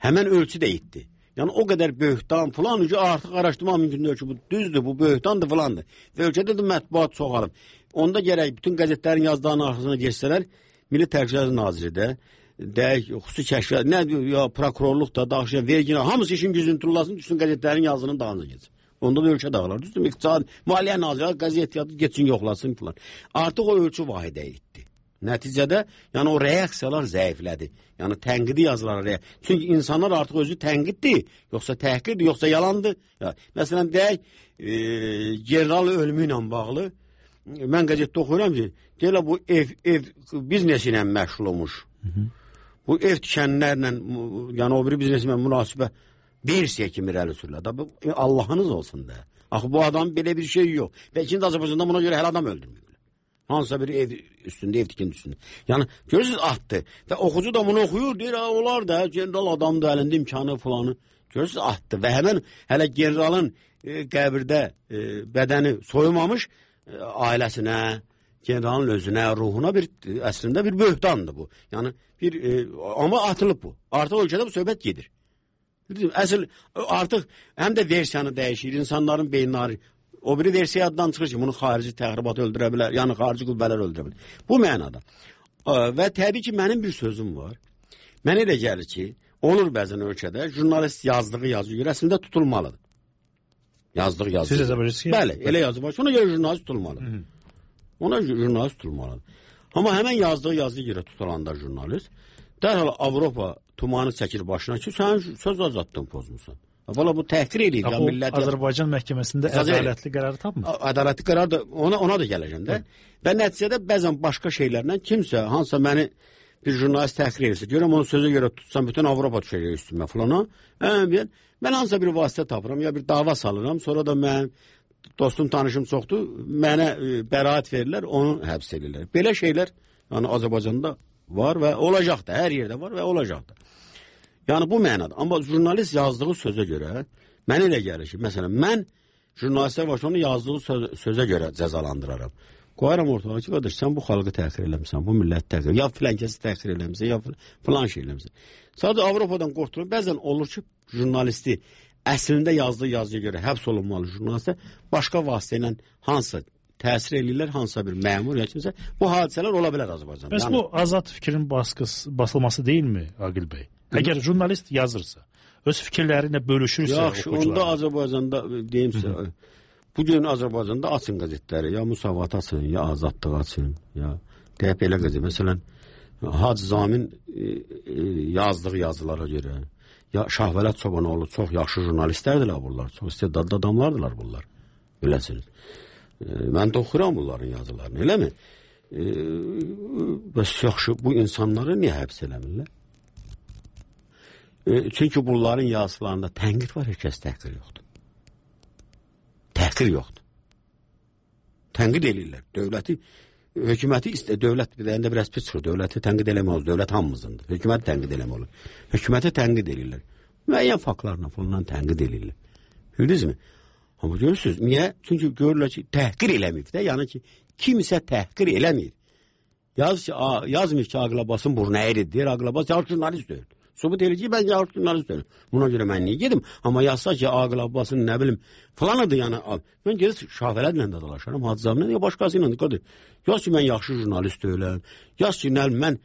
həmən ölçü də itdi. Yəni o qədər böhtan falan artıq araşdırma mümkündür ki, bu düzdür, bu böhtandır falandır. Və ölkədə də mətbuat çoxalıb. Onda gərək bütün qəzetlərin yazdıqlarının arxasına geçsələr, Milli Təhlükəsizlik Naziridə, xüsusi kəşfiyyat, nə ya prokurorluq da, daxiliyyə, vergi, hamısı işin gücünü tullasın, düşsün qəzetlərin yazının dağınıza geçsin. Onda da ölkə dağılar. Düzdür, iqtisad, maliyyə nazirləri qəzetiyatı geçsin, yoxlasın falan. Artıq o ölçü vahidə itdi. Nəticədə, yəni o reaksiyalar zəiflədi. Yəni tənqidi yazılar. Çünki insanlar artıq özü tənqiddir, yoxsa təhqirdir, yoxsa yalandır. Məsələn, deyək, general ölümü ilə bağlı, mən qəzetdə oxuyuram ki, deyirlər bu ev biznesi ilə məşğul olmuş. Bu ev tikənlərlə, yəni o biri bizneslə münasibə bir kimi irəli sürülər. Allahınız olsun da. Axı bu adam belə bir şey yox. Və ikinci Azərbaycanda buna görə hələ adam öldürmüyor. Hansısa bir ev üstündə, ev tikin üstündə. Yəni, görürsünüz, atdı. Və oxucu da bunu oxuyur, deyir, onlar da, general adamdır, əlində imkanı falanı. Görürsünüz, atdı. Və həmən hələ generalın qəbirdə bədəni soyulmamış ailəsinə, generalın özünə, ruhuna əslində bir böhtandır bu. Yəni, amma atılıb bu. Artıq ölkədə bu söhbət gedir. Əsl, artıq həm də versiyanı dəyişir, insanların beyinləri. O biri versiya addan çıxır ki, bunu xarici təxribat öldürə bilər, yəni xarici qüvvələr öldürə bilər. Bu mənada. Və təbii ki, mənim bir sözüm var. Mənə elə gəlir ki, olur bəzən ölkədə, jurnalist yazdığı yazı görə əslində tutulmalıdır. Yazdığı yazı. Siz yazabilirsiniz? Bəli, elə yazı var. Ona görə jurnalist tutulmalıdır. Ona jurnalist tutulmalıdır. Amma həmən yazdığı yazıya görə tutulanda jurnalist, dərhal Avropa tumanı çəkir başına ki, sən söz azadlığını pozmuşsan. Valla bu təhqir edir. Azərbaycan məhkəməsində ədalətli qərarı tapmır. Ədalətli qərar da ona da gələcəm də. Və nəticədə bəzən başqa şeylərlə kimsə, hansısa məni bir jurnalist təhqir edirsə, görəm onu sözə görə tutsam, bütün Avropa düşəcək üstümə falana. Mən hansısa bir vasitə tapıram, ya bir dava salıram, sonra da mənim dostum, tanışım çoxdur, mənə bəraət verirlər, onu həbs edirlər. Belə şeylər yəni Azərbaycanda var və olacaq da, hər yerdə var və olacaq da. Yəni bu mənada. Amma jurnalist yazdığı sözə görə, mən elə gəlir ki, məsələn, mən jurnalistə başlanı yazdığı sözə görə cəzalandıraram. Qoyaram ortalığa ki, qardaş, sən bu xalqı təhqir eləmişsən, bu millət təhqir, ya filankəsi təhqir eləmişsən, ya filan şey eləmişsən. Sadəcə Avropadan qorxduğum, bəzən olur ki, jurnalisti əslində yazdığı yazıya görə həbs olunmalı jurnalistə başqa vasitə ilə hansı təsir eləyirlər, hansısa bir məmur ya kimsə, bu hadisələr ola bilər Azərbaycanda. Bəs bu azad fikrin basılması deyilmi, Aqil bəy? Əgər jurnalist yazırsa, öz fikirlərinə bölüşürsə oxucular. Onda Azərbaycanda deyimsə, bugün Azərbaycanda açın qəzetləri, ya Musavat açın, ya Azadlıq açın, ya deyib elə qəzet. Məsələn, Hacı Zamin yazdığı yazılara görə, ya Şahvələt Çobanoğlu çox yaxşı jurnalistlərdirlər bunlar, çox istedadlı adamlardılar bunlar, biləsiniz. Mən də oxuram bunların yazılarını, eləmi? Bəs yaxşı, bu insanları niyə həbs eləmirlər? Çünki bunların yazılarında tənqid var, heç kəs təhqir yoxdur. Təhqir yoxdur. Tənqid eləyirlər. Dövləti, hökuməti dövlət birində biraz pis çıxır. Dövləti tənqid eləmək olur. Dövlət hamımızındır. Hökuməti tənqid eləmək olur. Hökuməti tənqid eləyirlər. Müəyyən faktlarla falan tənqid eləyirlər. Bildinizmi? Amma görürsünüz, niyə? Çünki görürlər ki, təhqir eləməyib də. Yəni ki, kimsə təhqir eləməyib. Yazmır ki, Aqil Abbasın burnu əyridir. Deyir, Aqil Abbas jurnalist deyil. Sübut elə ki, mən yaxşı jurnalistəm. Buna görə mən niyə gedim? Amma yazsa ki, Aqil Abbasın nə bilim falanıdır yəni. Mən gedib Şafələdlə də dalaşaram, Hacızamla ya başqası ilə də. Yaz ki, mən yaxşı jurnalist deyiləm. Yaz ki, mən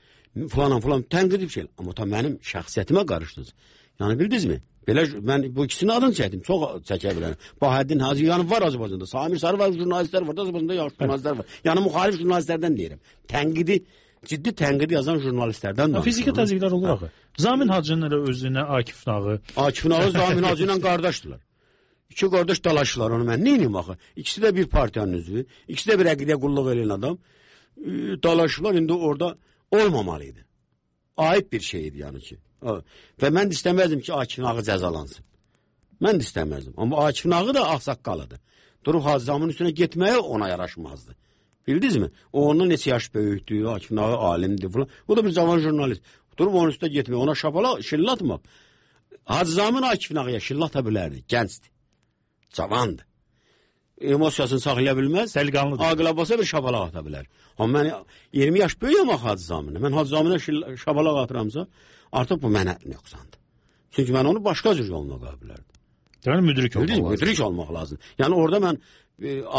falan tənqid bir şey. Amma ta mənim şəxsiyyətimə qarışdınız. Yəni bildinizmi? Belə mən bu ikisinin adını çəkdim. Çox çəkə bilərəm. Bahəddin Hacı yəni var Azərbaycanda. Samir Sarı var, jurnalistlər var. Azərbaycanda yaxşı jurnalistlər var. Yəni müxalif jurnalistlərdən deyirəm. Ciddi tənqidi yazan jurnalistlərdən danışıram. Fiziki təzyiqlər olur axı. Zamin Hacının elə özünə Akif Nağı. Akif Nağı Zamin Hacı ilə qardaşdılar. İki qardaş dalaşdılar onu mən. Neyim axı? İkisi də bir partiyanın üzvü. İkisi də bir əqidə qulluq edən adam. Dalaşdılar. İndi orada olmamalıydı. Ayıb bir şeydi yəni ki. Və mən də istəməzdim ki, Akif Nağı cəzalansın. Mən də istəməzdim. Amma Akif Nağı da ağsaqqalıdır. Durub Hacızamın üstünə getməyə ona yaraşmazdı. Bildinizmi? O ondan neçə yaş böyükdür, Akif Nağı alimdir falan. O da bir cavan jurnalist. Durub onun üstünə getməyə, ona şapala şillatmaq. Hacızamın Akif Nağıya şillata bilərdi, gəncdir. Cavandır. Emosiyasını saxlaya bilməz. Dəliqanlıdır. Aqil Abbasa bir şapalaq ata bilər. Amma mən 20 yaş böyüyəm axı Hacızamına. Mən Hacızamına şapalaq atıramsa, artıq bu mənə nöqsandır. Çünki mən onu başqa cür yoluna qoya bilərdim. Yəni müdrik olmaq lazım. Müdrik olmaq lazım. Yəni orada mən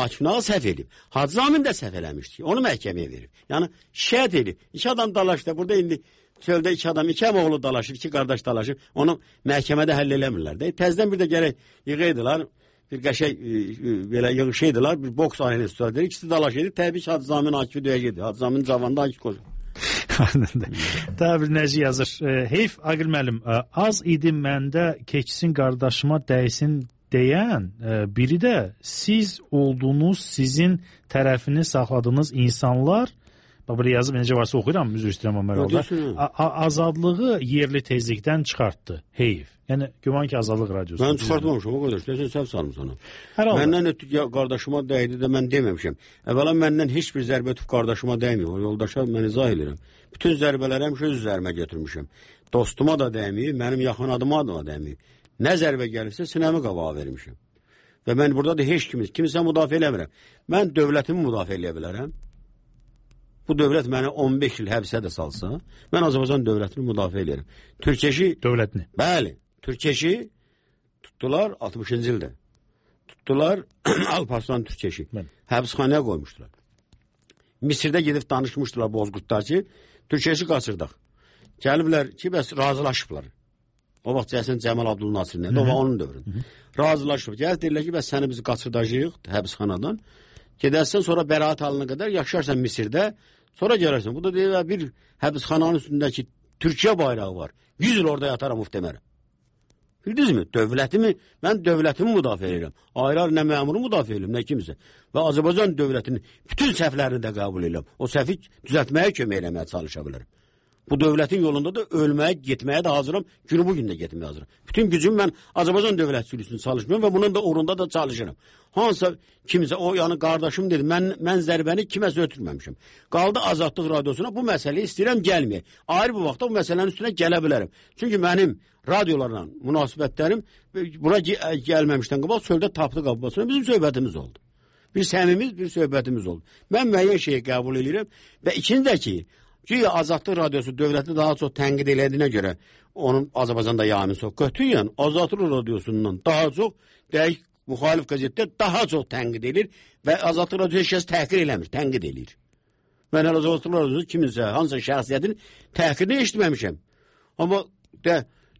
Akif Nağı səhv edib. Hacızamin də səhv eləmişdi. Onu məhkəməyə verib. Yəni şikayət edib. İki adam dalaşdı. Burada indi çöldə iki adam, iki əmoğlu dalaşıb, iki qardaş dalaşıb. Onu məhkəmədə həll eləmirlər. Təzdən bir də gərək yığıydılar. Bir qəşək belə yığışıydılar. Bir boks ailesi tutardı. İkisi dalaş edib. Təbii ki, Hacızamin Akifi döyəcəkdi. Hacızamin cavanda Akif qoşur. Daha bir nəci yazır. Heyf Aqil müəllim, az idi məndə keçsin qardaşıma dəysin deyən biri də siz olduğunuz, sizin tərəfini saxladığınız insanlar, belə yazıb necə varsa oxuyuram, üzr istəyirəm Ömər oğlu, azadlığı yerli tezlikdən çıxartdı. Heyf. Yəni güman ki, Azadlıq Radiosu. Mən çıxartmamışam o qədər. Sən səhv salmısan onu. Məndən ötüb qardaşıma dəydi də mən deməmişəm. Əvvəla məndən heç bir zərbə ötüb qardaşıma dəyməyib. O yoldaşa mən izah edirəm. Bütün zərbələri həmişə öz üzərimə götürmüşəm. Dostuma da dəyməyib, mənim yaxın adıma da dəyməyib. Nə zərbə gəlirsə sinəmi qabağa vermişəm. Və mən burada da heç kimsə müdafiə eləmirəm. Mən dövlətimi müdafiə eləyə bilərəm. Bu dövlət məni 15 il həbsə də salsa, mən Azərbaycan dövlətini müdafiə edirəm. Türkeşi dövlətini. Bəli, Türkeşi tutdular 60-cı ildə. Tutdular Alparslan Türkeşi. Həbsxanaya qoymuşdular. Misirdə gedib danışmışdılar Bozqurtlar ki, Türkeşi qaçırdaq. Gəliblər ki, bəs razılaşıblar. O vaxt Cəsən Cəmal Abdülnasirlə, o vaxt onun dövründə. Razılaşıb. Gəl deyirlər ki, bəs səni biz qaçırdacağıq həbsxanadan. Gedərsən, sonra bəraət alına qədər yaşarsan Misirdə, sonra gələrsən. Bu da deyir, bir həbsxananın üstündəki Türkiyə bayrağı var. 100 il orada yataram muhtemelen. Bildinizmi? Dövlətimi, mən dövlətimi müdafiə edirəm. Ayrı nə məmuru müdafiə edirəm, nə kimsə. Və Azərbaycan dövlətinin bütün səhvlərini də qəbul edirəm. O səhvi düzəltməyə kömək eləməyə çalışa bilərəm. Bu dövlətin yolunda da ölməyə, getməyə də hazıram. Günü bugün də getməyə hazıram. Bütün gücüm mən Azərbaycan dövlətçiliyi üçün çalışmıyorum və bunun da uğrunda da çalışıram. Hansısa kimsə, o yəni qardaşım dedi, mən zərbəni kiməsə ötürməmişim. Qaldı Azadlıq Radiosuna bu məsələyi istəyirəm gəlməyə. Ayrı bir vaxtda bu məsələnin üstünə gələ bilərəm. Çünki mənim radiolarla münasibətlərim bura gəlməmişdən qabaq çöldə tapdı qabasına bizim söhbətimiz oldu. Bir səmimiz, bir söhbətimiz oldu. Mən müəyyən şeyi qəbul edirəm və ikinci də ki, Azadlıq Radiosu dövləti daha çox tənqid elədiyinə görə onun Azərbaycanda yayımı çox götürən Azadlıq Radiosundan daha çox dəqiq müxalif qəzetlər daha çox tənqid edir və Azadlıq Radiosu heç kəs təhqir eləmir, tənqid edir. Mən hələ Azadlıq Radiosu kiminsə, hansısa şəxsiyyətin təhqirini eşitməmişəm. Amma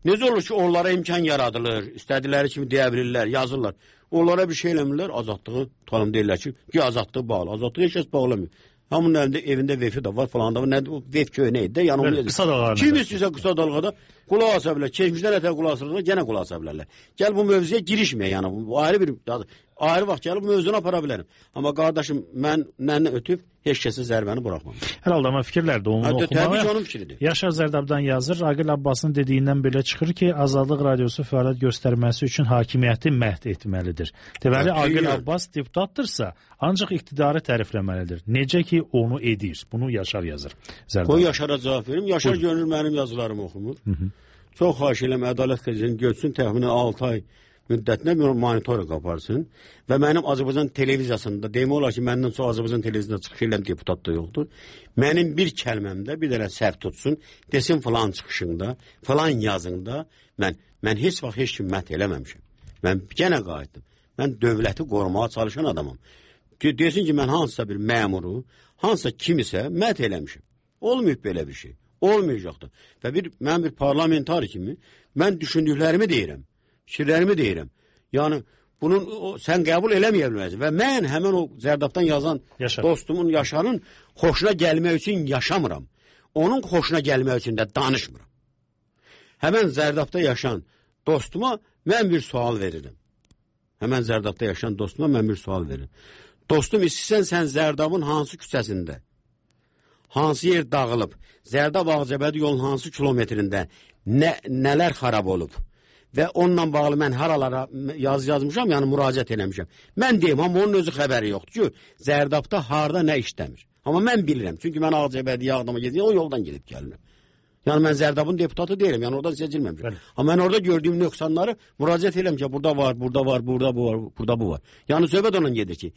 necə olur ki, onlara imkan yaradılır, istədikləri kimi deyə bilirlər, yazırlar. Onlara bir şey eləmirlər, azadlığı tanım deyirlər ki, azadlığı bağlı. Azadlığı heç kəs bağlamıyor. Hamının əlində evində vefi də var falan da var. Nə vef köynə idi də yanılmıyor. Qısa dalğalar. Kim istəyirsə qısa dalğada qulaq asa bilər. Keçmişdən ətə qulaq asırlar, yenə qulaq asa bilərlər. Gəl bu mövzuya girişməyə yəni. Bu ayrı vaxt gəlib bu mövzunu apara bilərəm. Amma qardaşım mən ötüb heç kəsə zərbəni buraxmam. Hər halda amma fikirlər də onu oxumağa. Təbii ki, onun fikridir. Yaşar Zərdabdan yazır. Aqil Abbasın dediyindən belə çıxır ki, Azadlıq Radiosu fəaliyyət göstərməsi üçün hakimiyyəti məhv etməlidir. Deməli, Aqil Abbas deputatdırsa, ancaq iqtidarı tərifləməlidir. Necə ki, onu edir. Bunu Yaşar yazır. Qoy Yaşara cavab verim. Yaşar görünür mənim yazılarımı oxumur. Çox xahiş edirəm, Ədalət qəzetini götürsün, təxminən 6 ay müddətinə bir monitorinq aparsın və mənim Azərbaycan televiziyasında demək olar ki, məndən çox Azərbaycan televiziyasında çıxış edən deputat da yoxdur. Mənim bir kəlməmdə bir dənə səhv tutsun, desin falan çıxışında, falan yazında mən heç vaxt heç kim mət eləməmişəm. Mən yenə qayıtdım. Mən dövləti qorumağa çalışan adamam. Desin ki, mən hansısa bir məmuru, hansısa kimisə mət eləmişəm. Olmayıb belə bir şey. Olmayacaqdır. Və mən bir parlamentar kimi mən düşündüklərimi deyirəm, fikirlərimi deyirəm. Yəni, sən qəbul eləməyə bilməzsin. Və mən həmən o Zərdabdan yazan dostumun, Yaşarın xoşuna gəlmək üçün yaşamıram. Onun xoşuna gəlmək üçün də danışmıram. Həmən Zərdabda yaşayan dostuma mən bir sual verirəm. Həmən Zərdabda yaşayan dostuma mən bir sual verirəm. Dostum, istəyirsən sən Zərdabın hansı küçəsində, hansı yer dağılıb, Zərdab Ağcabədi yolun hansı kilometrində nələr xarab olub və onunla bağlı mən haralara yazmışam, yəni müraciət eləmişəm. Mən deyim, amma onun özü xəbəri yoxdur ki, Zərdabda harda nə işləmir. Amma mən bilirəm, çünki mən Ağcabədiyə Ağdama gedirəm, o yoldan gedib gəlirəm. Yəni mən Zərdabın deputatı deyirəm, yəni oradan seçilməmişəm. Amma mən orada gördüyüm nöqsanları müraciət eləmişəm ki, burada var, burada var, burada bu var, burada bu var. Yəni söhbət ondan gedir ki,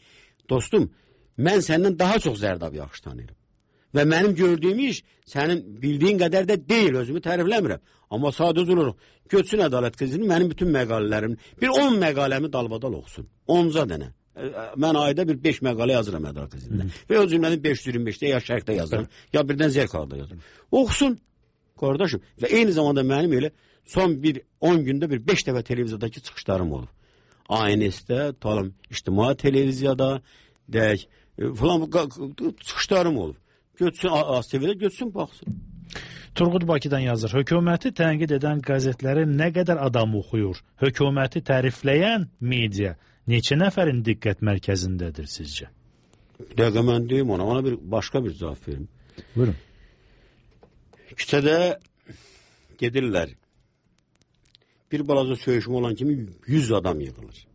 dostum, mən səndən daha çox Zərdabı yaxşı tanıyırım. Və mənim gördüyüm iş sənin bildiyin qədər də deyil, özümü tərifləmirəm. Amma sadəcə olaraq Göçsün Ədalət Qəzetinin mənim bütün məqalələrim, bir 10 məqaləmi dalbadal oxusun. 10-ca dənə. Mən ayda bir 5 məqalə yazıram Ədalət Qəzetində. Və o cümlənin 525-də ya Şərqdə yazıram, ya birdən Zerkalda yazıram. Oxusun, qardaşım. Və eyni zamanda mənim elə son bir 10 gündə bir 5 dəfə televiziyadakı çıxışlarım olub. ANS-də, İctimai televiziyada, deyək, falan çıxışlarım olub. Göçsün, ATV-də göçsün, baxsın. Turqud Bakıdan yazır. Hökuməti tənqid edən qəzetləri nə qədər adam oxuyur? Hökuməti tərifləyən media neçə nəfərin diqqət mərkəzindədir sizcə? Bir dəqiqə mən deyim ona başqa bir cavab verim. Buyurun. Küçədə gedirlər. Bir balaca söyüşmə olan kimi 100 adam yığılır.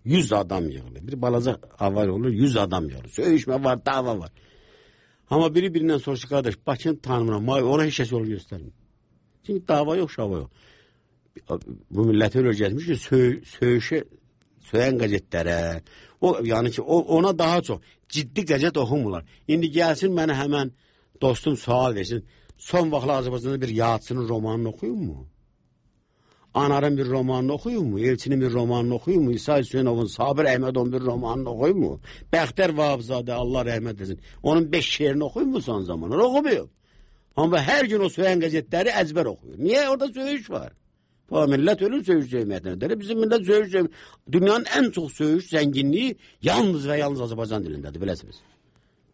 100 adam yığılır. Bir balaca avay olur, 100 adam yığılır. Söyüşmə var, dava var. Amma biri-birindən soruşur, qardaş, Bakını tanımıram, ona heç kəs yol göstərmir. Çünki dava yox, şava yox. Bu milləti öyle gəlmiş ki, söyən qəzetlərə, yəni ki, ona daha çox ciddi qəzet oxumurlar. İndi gəlsin mənə həmən dostum sual versin, son vaxtlar Azərbaycanda bir yadçının romanını oxuyun mu? Anarın bir romanını oxuyun mu? Elçinin bir romanını oxuyun mu? İsa Hüseynovun, Sabir Əhmədovun bir romanını oxuyun mu? Bəxtər Vahabzadə, Allah rəhmət etsin. Onun 5 şeirini oxuyun mu son zamanlar? Oxumuyor. Amma hər gün o söyən qəzetləri əzbər oxuyur. Niyə? Orada söyüş var. Bu millət ölür söyüş cəmiyyətindədir. Bizim millət söyüş cəmiyyətindədir. Dünyanın ən çox söyüş zənginliyi yalnız və yalnız Azərbaycan dilindədir, biləsiniz.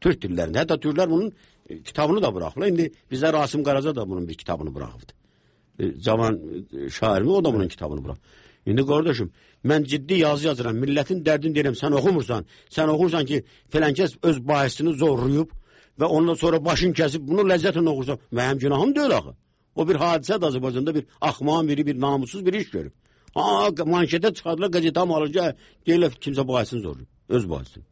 Türk dillərində. Hətta Türklər bunun kitabını da bıraxırlar. İndi bizə Rasim Qaraca da bunun bir kitabını bıraxıbdı. Cavan şairimi, o da bunun kitabını bırak. İndi qardaşım, mən ciddi yazı yazıram, milletin dərdini deyirəm, sən oxumursan, sən oxursan ki, filankəs öz bahisini zorlayıb və ondan sonra başın kəsib, bunu ləzzətlə oxursan, mənim günahım deyil axı. O bir hadisədir Azərbaycanda, bir axmağın biri, bir namussuz bir iş görüb. Manşetə çıxardılar, qəzetə alınca, deyirlər kimsə bahisini zorlayıb, öz bahisini.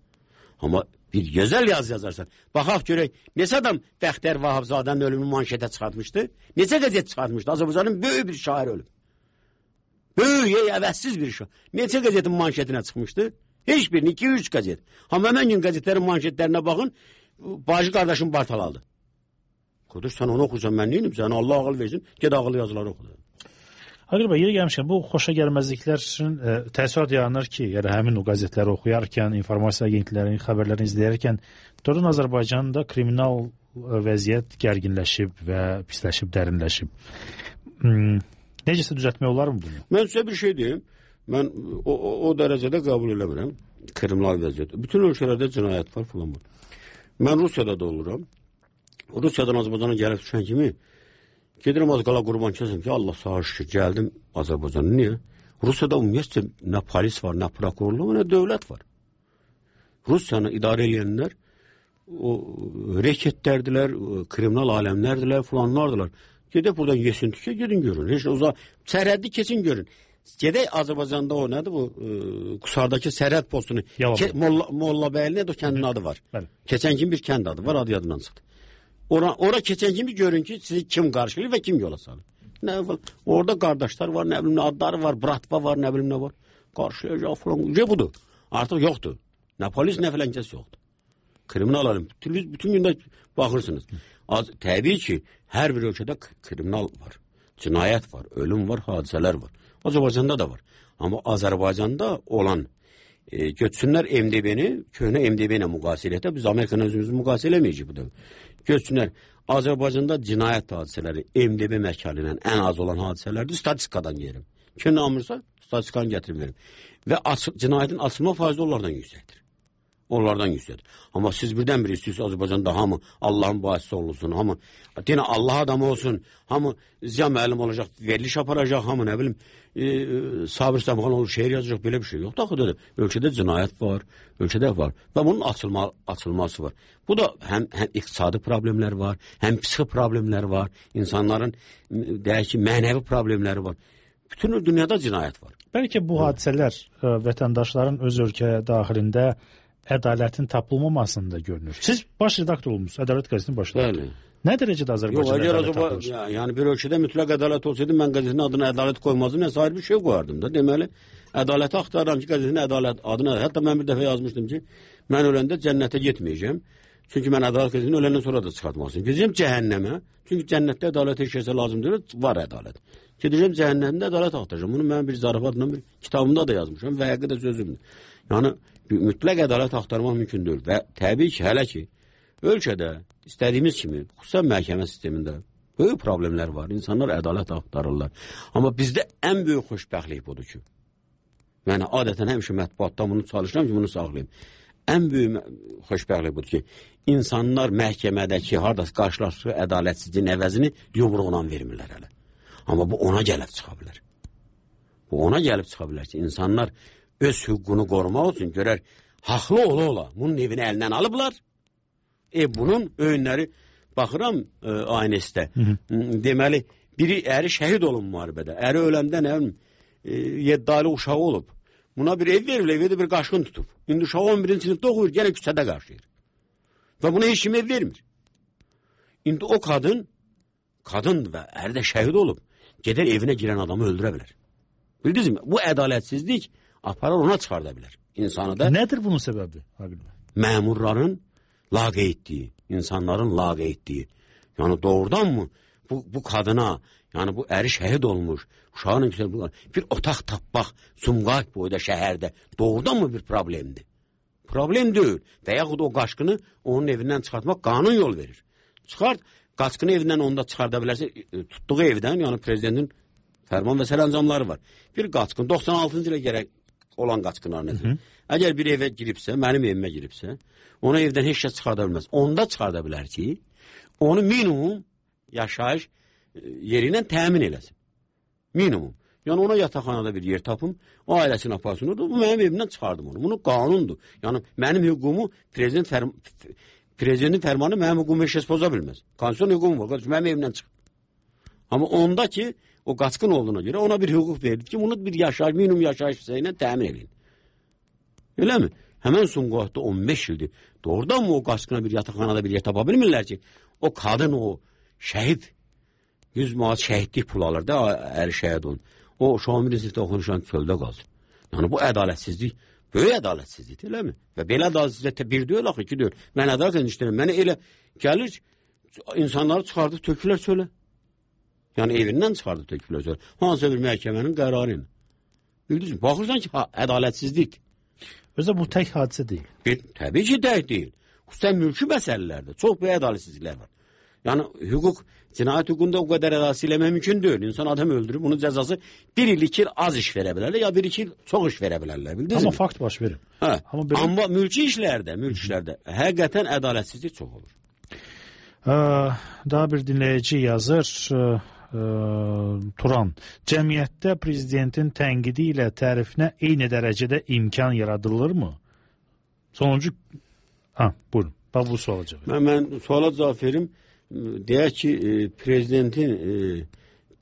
Amma bir gözəl yazı yazarsan. Baxaq görək, neçə adam Bəxtər Vahabzadənin ölümünü manşetə çıxartmışdı? Neçə qəzet çıxartmışdı? Azərbaycanın böyük bir şair ölüb. Böyük, əvəzsiz bir şair. Neçə qəzetin manşetinə çıxmışdı? Heç birini, 2-3 qəzet. Amma həmən gün qəzetlərin manşetlərinə baxın, bacı qardaşım Bartalaldı. Qardaş, sən onu oxursan, mən neyim? Sənə Allah ağıl versin, ged ağıl yazıları oxudu. Aqil bəy, yeri gəlmişkən, bu xoşa gəlməzliklər üçün təəssürat yaranır ki, yəni həmin o qəzetləri oxuyarkən, informasiya agentliklərinin xəbərlərini izləyərkən, doğrudan Azərbaycanda kriminal vəziyyət gərginləşib və pisləşib, dərinləşib. Necəsə düzəltmək olar mı bunu? Mən sizə bir şey deyim, mən o dərəcədə qəbul eləmirəm kriminal vəziyyət. Bütün ölkələrdə cinayət var, falan var. Mən Rusiyada da oluram. Rusiyadan Azərbaycana gəlib düşən kimi gedirəm az qala qurban kəsəm ki, Allah sağ şükür, gəldim Azərbaycana. Niyə? Rusiyada ümumiyyətcə nə polis var, nə prokurorluq, nə dövlət var. Rusiyanı idarə edənlər o reketlərdilər, kriminal aləmlərdilər, falanlardılar. Gedək buradan yesin tükə, gedin görün. Heç uzaq, sərhəddi keçin görün. Gedək Azərbaycanda o nədir bu Qusardakı sərhəd postunu, Mollabəyli nədir o kəndin adı var. Keçən kimi bir kənd adı var, adı yadından çıxdı. Ora keçən kimi görün ki, sizi kim qarşılayır və kim yola salır. Nə var? Orada qardaşlar var, nə bilim, adları var, bratva var, nə bilim nə var. Qarşılayacaq falan. Budur. Artıq yoxdur. Nə polis, nə filankəs yoxdur. Kriminal alım. Bütün gündə baxırsınız. Təbii ki, hər bir ölkədə kriminal var. Cinayət var, ölüm var, hadisələr var. Azərbaycanda da var. Amma Azərbaycanda olan götürsünlər MDB-ni, köhnə MDB ilə müqayisə eləkdə, biz Amerikanın özümüzü müqayisə eləməyəcək bu da. Götürsünlər, Azərbaycanda cinayət hadisələri MDB məkanı ilə ən az olan hadisələrdir, statistikadan yerim. Kim namırsa, statistikanı gətirib verim. Və cinayətin açılma faizi onlardan yüksəkdir. Onlardan yüksəkdir. Amma siz birdən-bir istəyirsiniz Azərbaycanda hamı Allahın bahisi olunsun, hamı yenə Allah adamı olsun, hamı Ziya müəllim olacaq, veriliş aparacaq, hamı nə bilim Sabir Səmxan olur, şeir yazacaq, belə bir şey yoxdur. Axı ölkədə cinayət var, ölkədə var və bunun açılması var. Bu da həm iqtisadi problemlər var, həm psixi problemlər var, insanların deyək ki, mənəvi problemləri var. Bütün dünyada cinayət var. Bəlkə bu hadisələr vətəndaşların öz ölkə daxilində ədalətin tapılmamasında görünür. Siz baş redaktor olmuşsunuz, Ədalət qəzetinin baş redaktoru. Nə dərəcədə Azərbaycanda ədalət tapılır? Yəni bir ölkədə mütləq ədalət olsaydı, mən qəzetin adına ədalət qoymazdım, nəsə ayrı bir şey qoyardım da. Deməli, ədaləti axtarıram ki, qəzetin ədalət adına, hətta mən bir dəfə yazmışdım ki, mən öləndə cənnətə getməyəcəm. Çünki mən ədalət qəzetini öləndən sonra da çıxartmalıyım. Gedəcəm cəhənnəmə. Çünki cənnətdə ədalət heç kəsə lazım deyil, var ədalət. Gedəcəm cəhənnəmdə ədalət axtaracağam. Bunu mən bir zarafatla bir kitabımda da yazmışam və həqiqətən sözümdür. Yəni mütləq ədalət axtarmaq mümkün deyil və təbii ki, hələ ki ölkədə istədiyimiz kimi xüsusən məhkəmə sistemində böyük problemlər var. İnsanlar ədalət axtarırlar. Amma bizdə ən böyük xoşbəxtlik budur ki, yəni adətən həmişə mətbuatdan bunu çalışıram ki, bunu saxlayım. Ən böyük xoşbəxtlik budur ki, insanlar məhkəmədəki hardasa qarşılaşdığı ədalətsizliyin əvəzini yumruqla vermirlər hələ. Amma bu ona gəlib çıxa bilər. Bu ona gəlib çıxa bilər ki, insanlar öz hüququnu qorumaq üçün görər, haqlı ola, bunun evini əlindən alıblar. Bunun öyünləri, baxıram aynəsdə, deməli, biri əri şəhid olun müharibədə, əri öləndə nə bilim, 7 aylı uşağı olub. Buna bir ev verir, evdə bir qaşqın tutub. İndi uşağı 11-ci sinifdə oxuyur, yenə küçədə qarşıyır. Və buna heç kim ev vermir. İndi o qadın və əri də şəhid olub, gedər evinə girən adamı öldürə bilər. Bildiniz mi? Bu ədalətsizlik aparar ona çıxarda bilər. İnsanı da... Nədir bunun səbəbi? Məmurların laqeydliyi, insanların laqeydliyi. Yəni doğrudan mı bu qadına, yəni bu əri şəhid olmuş, uşağının bir otaq tapmaq Sumqayıt boyda şəhərdə doğrudan mı bir problemdir? Problem deyil. Və yaxud o qaçqını onun evindən çıxartmaq qanun yol verir. Çıxart, qaçqını evindən onda çıxarda bilərsə, tutduğu evdən, yəni prezidentin fərman və sərəncamları var. Bir qaçqın, 96-cı ilə gərək olan qaçqınlar nədir? Əgər bir evə giribsə, mənim evimə giribsə, ona evdən heç kəs çıxarda bilməz. Onda çıxarda bilər ki, onu minimum yaşayış yeri ilə təmin eləsin. Minimum. Yəni ona yataqxanada bir yer tapım, o ailəsini aparsın, bu mənim evimdən çıxardım onu. Bunu qanundur. Yəni mənim hüququmu prezidentin fərmanı mənim hüququmu heç kəs poza bilməz. Konstitusiyon hüququm var, mənim evimdən çıx. Amma onda ki, o qaçqın olduğuna görə ona bir hüquq verildi ki, bunu bir yaşayış, minimum yaşayış ilə təmin edin. Elə mi? Həmən Sumqayıtda 15 ildir. Doğrudan mı o qaçqına bir yataqxanada bir yer tapa bilmirlər ki, o qadın, o şəhid 100 manat şəhidlik pul alır da, əri şəhid olun. O Şamil sinifdə oxunuşan çöldə qalsın. Yəni bu ədalətsizlik, böyük ədalətsizlikdir, elə mi? Və belə ədalətsizlikdə bir deyil, axı, iki deyil. Mən ədalət işləyirəm. Mənə elə gəlir, insanları çıxardıb tökülər çölə. Yəni evindən çıxardıb tökülər çölə. Hansısa bir məhkəmənin qərarı ilə. Bildiniz mi? Baxırsan ki, ədalətsizlik. Özdə bu tək hadisə deyil. Təbii ki, tək deyil. Xüsusən mülki məsələlərdə çox böyük ədalətsizliklər var. Yəni hüquq, cinayət hüququnda o qədər ədalətsiz eləmək mümkün deyil. İnsan adam öldürür, bunun cəzası 1 il 2 il az iş verə bilərlər, ya 1-2 il çox iş verə bilərlər. Bildiniz mi? Amma fakt baş verir. Hə. Amma mülki işlərdə həqiqətən ədalətsizlik çox olur. Daha bir dinləyici yazır, Turan, cəmiyyətdə prezidentin tənqidi ilə tərifinə eyni dərəcədə imkan yaradılırmı? Sonuncu, buyurun, bax bu suala cavab verin. Mən suala cavab verim. Deyək ki, prezidentin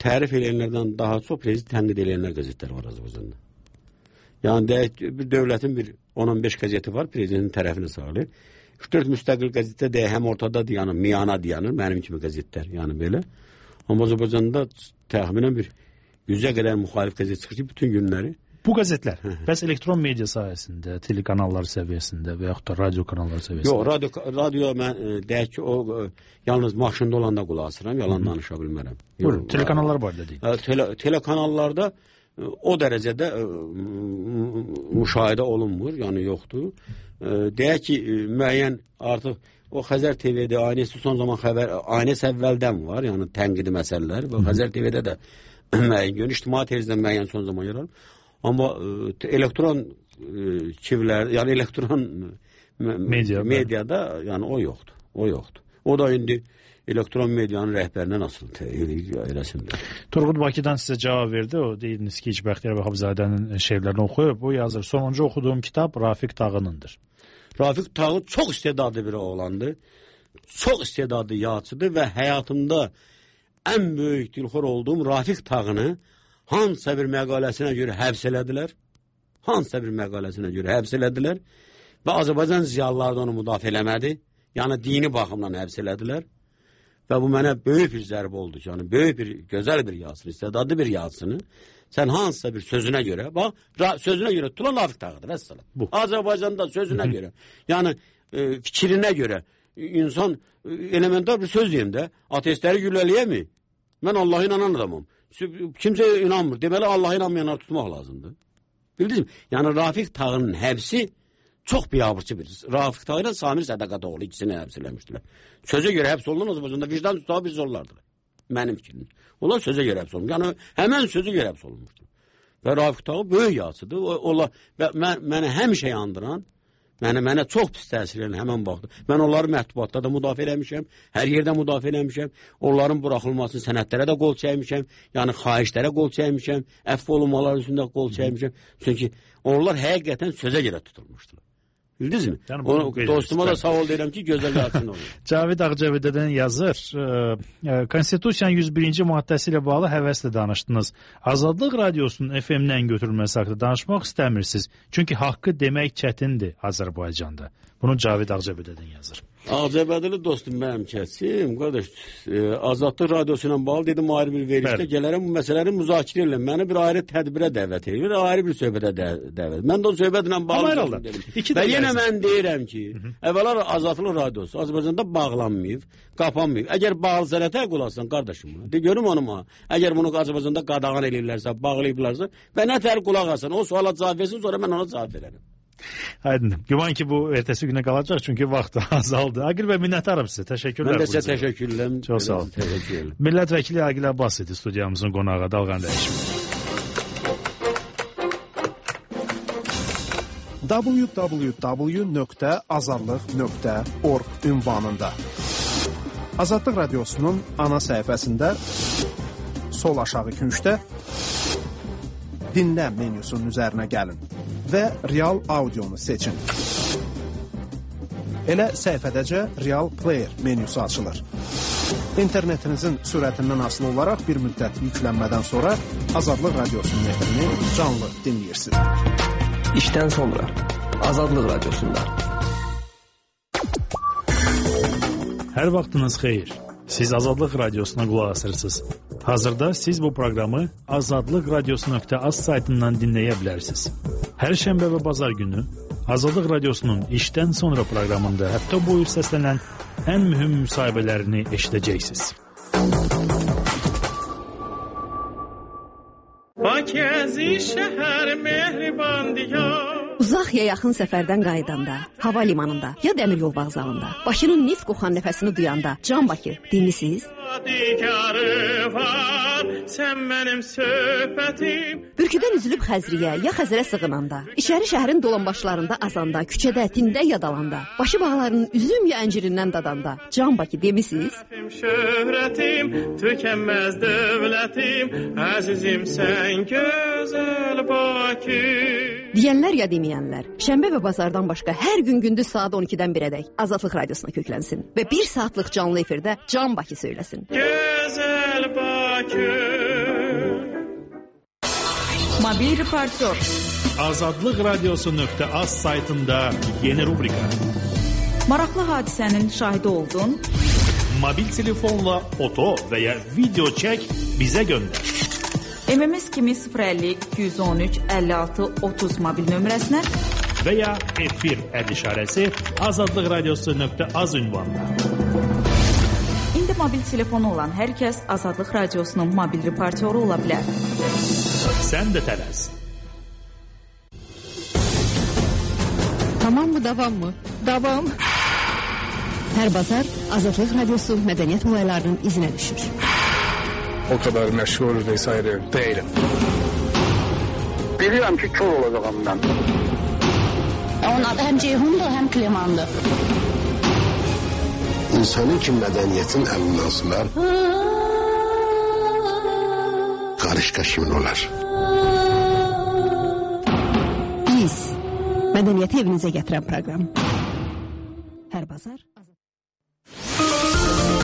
tərif eləyənlərdən daha çox prezident tənqid eləyənlər qəzetlər var Azərbaycanda. Yəni deyək ki, bir dövlətin bir 10-15 qəzeti var, prezidentin tərəfini sağlayır. 3-4 müstəqil qəzetdə deyək, həm ortadadır, yəni miyana dayanır, mənim kimi qəzetlər, yəni belə. Amma Azərbaycanda təxminən bir 100-ə qədər müxalif qəzet çıxır ki, bütün günləri. Bu qəzetlər bəs elektron media sayəsində, telekanallar səviyyəsində və yaxud da radio kanalları səviyyəsində? Yox, radio mən deyək ki, o yalnız maşında olanda qulaq asıram, yalan danışa bilmərəm. Buyurun, telekanallar barədə deyin. Telekanallarda o dərəcədə müşahidə olunmur, yəni yoxdur. Deyək ki, müəyyən artıq o Xəzər TV-də aynəsi son zaman aynəsi əvvəldən var, yəni tənqidi məsələlər və Xəzər TV-də də müəyyən, ictimai televiziyadan müəyyən son zaman yer alır. Amma elektron çivlər, yəni elektron mediada yəni o yoxdur. O yoxdur. O da indi elektron medianın rəhbərindən asılı eləsindir. Turqud Bakıdan sizə cavab verdi. O deyildiniz ki, Bəxtiyar Vahabzadənin şeirlərini oxuyub. Bu yazır. Sonuncu oxuduğum kitab Rafiq Tağınındır. Rafiq Tağın çox istedadlı bir oğlandır. Çox istedadlı yazıcıdır və həyatımda ən böyük dilxor olduğum Rafiq Tağını hansısa bir məqaləsinə görə həbs elədilər. Hansısa bir məqaləsinə görə həbs elədilər. Və Azərbaycan ziyalıları da onu müdafiə eləmədi. Yəni dini baxımdan həbs elədilər. Və bu mənə böyük bir zərbə oldu. Yəni böyük bir, gözəl bir yazısını, istedadlı bir yazısını sən hansısa bir sözünə görə, bax, sözünə görə tutulan Rafiq Tağıdır, vəssalam. Bu. Azərbaycanda sözünə görə, yəni fikrinə görə insan elementar bir söz deyim də, ateistləri gülləliyəmi? Mən Allah'a inanan adamım. Kimsə inanmır. Deməli, Allah'a inanmayanları tutmaq lazımdır. Bildiniz mi? Yəni, Rafiq Tağının həbsi çox biabırçı bir. Rafiq Tağı ilə Samir Sədaqatoğlu ikisini həbs eləmişdilər. Sözə görə həbs olunan Azərbaycanda vicdan tutağı bir zorlardır. Mənim fikrim. Onlar sözə görə həbs olunur. Yəni, həmən sözə görə həbs olunmuşdur. Və Rafiq Tağı böyük yazıdır. Mənə həmişə yandıran, mənə çox pis təsir edən həmən vaxtda. Mən onları mətbuatda da müdafiə eləmişəm, hər yerdə müdafiə eləmişəm, onların buraxılmasını sənədlərə də qol çəkmişəm, yəni xahişlərə qol çəkmişəm, əfv olunmaları üstündə qol çəkmişəm. Çünki onlar həqiqətən sözə görə tutulmuşdular. Bildiniz mi? Yəni, dostuma da sağ ol deyirəm ki, gözəl yazsın olur. Cavid Ağcavidədən yazır. Konstitusiyanın 101-ci maddəsi ilə bağlı həvəslə danışdınız. Azadlıq radiosunun FM-dən götürülməsi haqqında danışmaq istəmirsiniz. Çünki haqqı demək çətindir Azərbaycanda. Bunu Cavid Ağcavidədən yazır. Ağcabədəli dostum mənim kəsim, qardaş, Azadlıq radiosu ilə bağlı dedim ayrı bir verişdə gələrəm bu məsələləri müzakirə edirəm. Məni bir ayrı tədbirə dəvət edir, ayrı bir söhbətə dəvət. Mən də o söhbətlə bağlı dedim. Və yenə mən deyirəm ki, əvvəla Azadlıq radiosu Azərbaycanda bağlanmayıb, qapanmayıb. Əgər bağlı sənətə qulasın qardaşım, de görüm onuma. Əgər bunu Azərbaycanda qadağan edirlərsə, bağlayıblarsa və nətər qulaq asın, o suala cavab versin, sonra mən ona cavab verərəm. Aydın. Güman ki bu ertəsi günə qalacaq çünki vaxt azaldı. Aqil bəy, minnətdarım sizə. Təşəkkürlər. Mən də sizə təşəkkürlər. Çox sağ olun. Millət vəkili Aqil Abbas idi studiyamızın qonağı. Dalğan dəyişim. www.azadlıq.org ünvanında Azadlıq radiosunun ana səhifəsində sol aşağı küncdə dinlə menyusunun üzərinə gəlin və real audionu seçin. Elə səhifədəcə Real Player menyusu açılır. İnternetinizin sürətindən asılı olaraq bir müddət yüklənmədən sonra Azadlıq radiosunun efrini canlı dinləyirsiniz. İşdən sonra Azadlıq radiosunda. Hər vaxtınız xeyir. Siz Azadlıq radiosuna qulaq asırsınız. Hazırda siz bu proqramı azadlıqradiosu.az saytından dinləyə bilərsiniz. Hər şənbə və bazar günü Azadlıq radiosunun işdən sonra proqramında həftə boyu səslənən ən mühüm müsahibələrini eşidəcəksiniz. Bakəzi şəhər mehriban diyar. Uzaq ya yaxın səfərdən qayıdanda, hava limanında ya dəmir yol vağzalında, Bakının neft qoxan nəfəsini duyanda, Can Bakı dinlisiz? Sən mənim söhbətim. Bürküdən üzülüb Xəzriyə ya Xəzərə sığınanda, İçəri şəhərin dolanbaşlarında azanda, küçədə, tində ya dalanda, başı bağlarının üzüm ya əncirindən dadanda, Can Bakı demisiz? Şöhrətim, tükənməz dövlətim, əzizim sən gözəl Bakı. Deyənlər ya deməyənlər, şənbə və bazardan başqa hər gün gündüz saat 12-dən 1-ədək Azadlıq radiosuna köklənsin və 1 saatlıq canlı efirdə Can Bakı söyləsin. Gözəl Bakı. Mobil reportör. mobil telefonla foto və ya video çək, bizə göndər. MMS kimi 050 213 56 30 mobil nömrəsinə və ya F1 işarəsi azadlıqradiosu.az ünvanına. İndi mobil telefonu olan hər kəs Azadlıq Radiosunun mobil reportyoru ola bilər. Sən də tələs. Tamam mı, davam mı? Davam. Hər bazar Azadlıq Radiosu mədəniyyət olaylarının izinə düşür. O kadar məşğul vesaire değilim. Bilirəm ki, kör olacağım mən. Onun adı həm Ceyhundur, həm Klemandır. İnsanın ki mədəniyyətin əlindən sular, qarışqa kimin olar? Biz, mədəniyyəti evinizə gətirən proqram.